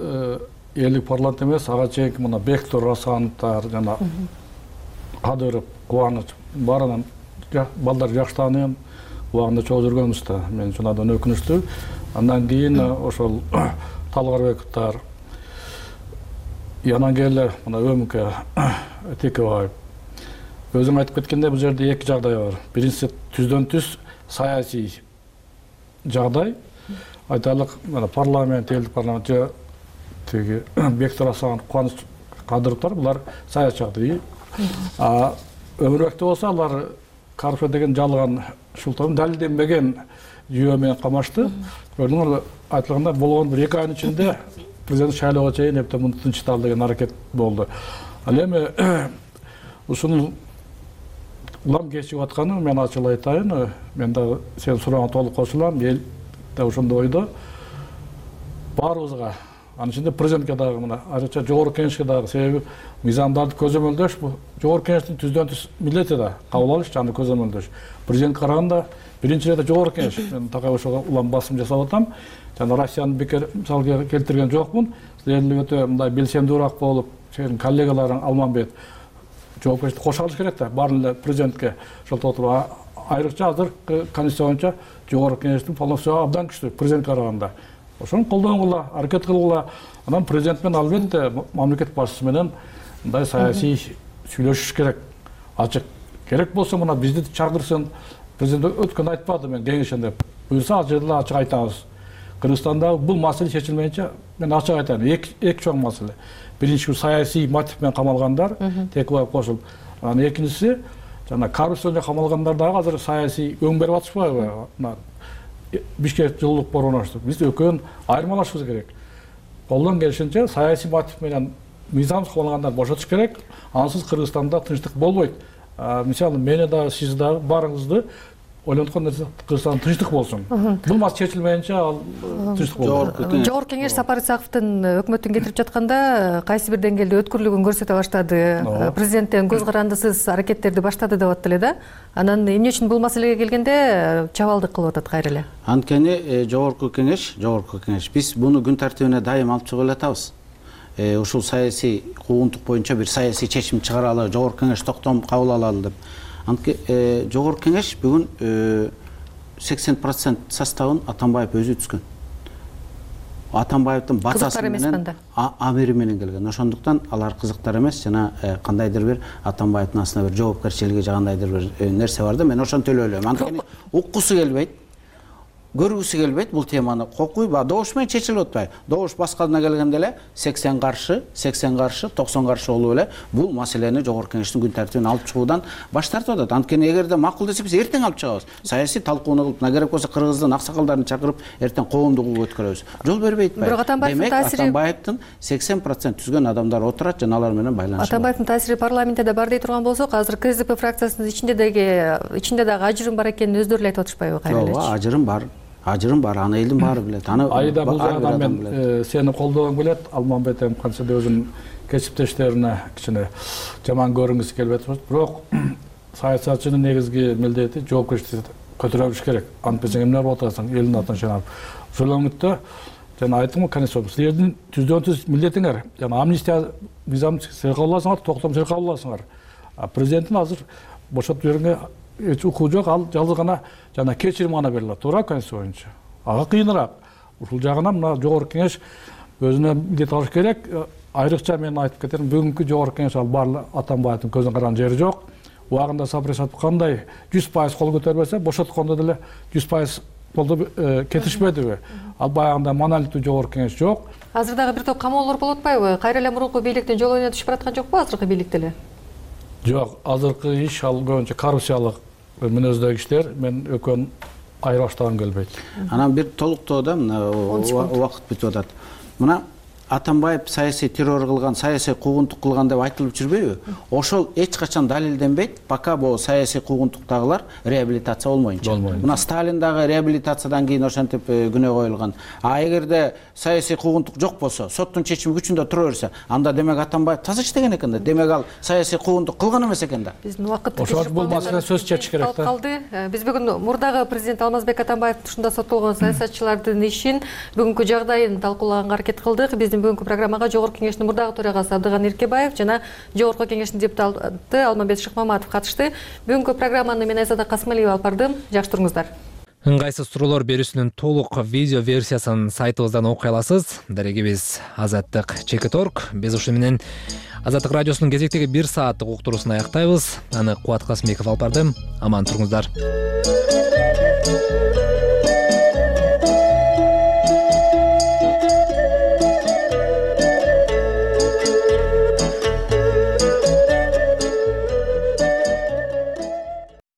элдик парламент эмес, ага чейинки мына Бектур Асановдор жана Кадыров, Кубаныч баарынан балдар жакшы тааныйм, убагында чогуу жүргөнбүз да. Мен үчүн абдан өкүнүчтүү. Андан кийин ошол Талгарбековдор, анан келе мына ÖMK Текебаев. Өзүң айтып кеткендей, бул жерде эки жагдай бар. Биринчиси түздөн түз саясий жагдай. Айтайлык, мына парламент, элдик парламент же тиги Бектур Асанов, Кубаныч Кадыровдор булар саясатчы. Өмүрбекте болсо алар коррупция деген жалган шултан далилденбеген жүйө менен камашты. Көрдүңөр, айтылгандай болгон бир 2 айдын ичинде президент шайлоого чейин эптеп муну тынчтал деген аракет болду. Ал эми ушуну улам кечип атканы мен ачык айтайын. Мен дагы сен сурооңо толук кошулам. Эл да ошондой ойдо. Баарыбызга, анын ичинде президентке дагы мына айрыкча жогорку кеңешке дагы, себеби мыйзамдарды көзөмөлдөш бул жогорку кеңештин түздөн түз милдети да кабыл алыш жана көзөмөлдөш. Президент караганда биринчи ирет жогорку кеңеш. Мен такай ошого улам басым жасап атам. Жана Россиянын бекер мисалга келтирген жокмун. Силердин өтө мындай белсемдүүрөөк болуп, сенин коллегаларың Алманбет жоопкерчиликти кошо алыш керек да. Баарын эле президентке шылтап отуруп, айрыкча азыр конституция боюнча жогорку кеңештин полномочия абдан күчтүү президентке караганда. Ошону колдонгула, аракет кылгыла. Анан президент менен албетте мамлекет башчысы менен мындай саясий сүйлөшүш керек. Ачык керек болсо мына бизди чакырсын. Президент өткөн айтпады мен кеңешен деп. Буюрса ал жерде ачык айтабыз. Кыргызстанда бул маселе чечилмейинче мен ачык айтайын. Эки чоң маселе. Биринчи саясий мотив менен камалгандар, Текебаев кошулуп. Анан экинчиси жана коррупцияга камалгандар дагы азыр саясий өң берип атышпайбы? Бишкек жылуулук борборуна биз экөөнүн айырмалашыбыз керек. Колдон келишинче саясий мотив менен мыйзамсыз камалгандар бошотуш керек. Ансыз Кыргызстанда тынчтык болбойт. Мисалы мени дагы сиз дагы баарыңызды ойлонткон нерсе Кыргызстанда тынчтык болсун. Бул маселе чечилмейинче ал тынчтык болбойт. Жогорку кеңеш Сапар Исаковдун өкмөттүн кетирип жатканда кайсы бир деңгээлде өткүрлүгүн көрсөтө баштады. Президенттен көз карандысыз аракеттерди баштады деп атты эле да. Анан эмне үчүн бул маселеге келгенде чабалдык кылып атат кайра эле? Анткени жогорку кеңеш биз буну күн тартибине дайым алып чыгып элатабыз. Ушул саясий куугунтук боюнча бир саясий чечим чыгаралы, жогорку кеңеш токтом кабыл алалы деп. Анткени жогорку кеңеш бүгүн 80% составын Атамбаев өзү түзгөн. Атамбаевдин батасы менен амири менен келген. Ошондуктан алар кызыктар эмес, жана кандайдыр бир Атамбаевдин астына бир жоопкерчилиги жагандайдыр бир нерсе бар да, мен ошону төлөөлөйм. Анткени уккусу келбейт, көргүсү келбейт бул теманы. Кокуй добуш менен чечилип атпайбы? Добуш башкасына келгенде эле 80 каршы, 90 каршы болуп эле бул маселени жогорку кеңештин күн тартибине алып чыгуудан баш тартып атат. Анткени эгерде макул десе биз эртең алып чыгабыз. Саясий талкууну кылып, керек болсо Кыргыздын аксакалдарын чакырып эртең коомдук өткөрөбүз. Жол бербейт атпайбы? Демек Атамбаевдин 80% түзгөн адамдар отурат жана алар менен байланыш. Атамбаевдин таасири парламентте да бар дей турган болсок, азыр КСДП фракциясынын ичинде дагы ажырым бар экенин өздөрү эле айтып атышпайбы кайра элечи? Ооба, ажырым бар, аны элдин баары билет. Айда бул жагдан мен сени колдогум келет. Алманбет канчада өзүнүн кесиптештерине кичине жаман көрүнгүсү келип атат. Бирок саясатчынын негизги милдети жоопкерчиликти көтөрө билиш керек. Антпесең эмне болуп атасың, элдин атын чыгарып. Ошол үмүттө жана айттым го, конституция силердин түздөн түз милдетиңер. Жана амнистия мыйзамын силер кабыл аласыңар, токтом силер кабыл аласыңар. Президенттин азыр бошотуп жибергенге эч укугу жок, ал жалгыз гана жана кечирим гана берилет, туура конституция боюнча. Ага кыйыныраак. ушул жагынан мына жогорку кеңеш өзүнө милдет алыш керек. Айрыкча мен айтып кетерим, бүгүнкү жогорку кеңеш ал баары Атамбаевдин көзүн караган жери жок. Убагында Сапаров айткандай 100% кол көтөрбөсө, бошоткондо деле 100% колду кетишпедиби? Ал баягында монолиттүү жогорку кеңеш жок. Азыр дагы бир топ камоолор болуп атпайбы? Кайра эле мурунку бийликтин жолуна түшүп бараткан жокпу азыркы бийлик деле? Жок, азыркы иш ал көбүнчө коррупциялык мүнөздөгү иштер. Мен экөөнүн айырбаштагым келбейт. Анан бир толуктоодо мына убакыт бүтүп атат. Мына Атамбаев саясий террор кылган, саясий куугунтук кылган деп айтылып жүрбөйбү? Ошол эч качан далилденбейт, пока бул саясий куугунтуктагылар реабилитация болмоюнча. Мына Сталин дагы реабилитациядан кийин ошентип күнөө коюлган. А эгерде саясий куугунтук жок болсо, соттун чечими күчүндө тура берсе, анда демек Атамбаев таза иштеген экен да. Демек ал саясий куугунтук кылган эмес экен да. Биздин убакыт ошол бул маселе сөз чечиш керек да. Биз бүгүн мурдагы президент Алмазбек Атамбаевдин тушунда соттолгон саясатчылардын ишин, бүгүнкү жагдайын талкуулаганга аракет кылдык. Бүгүнкү программага Жогорку кеңештин мурдагы төрагасы Абдыган Эркебаев жана Жогорку кеңештин депутаты Алмамбет Шыкмаматов катышты. Бүгүнкү программаны мен Айзада Касымалиева алып бардым. Жакшы туруңуздар. Ыңгайсыз суроолор берүүсүнүн толук видео версиясын сайтыбыздан окуй аласыз. Дарегибиз Азаттык Чекиторг. Биз ушу менен Азаттык радиосунун кезектеги 1 сааттык уктуруусун аяктайбыз. Аны Кубат Касымбеков алып барды. Аман туруңуздар.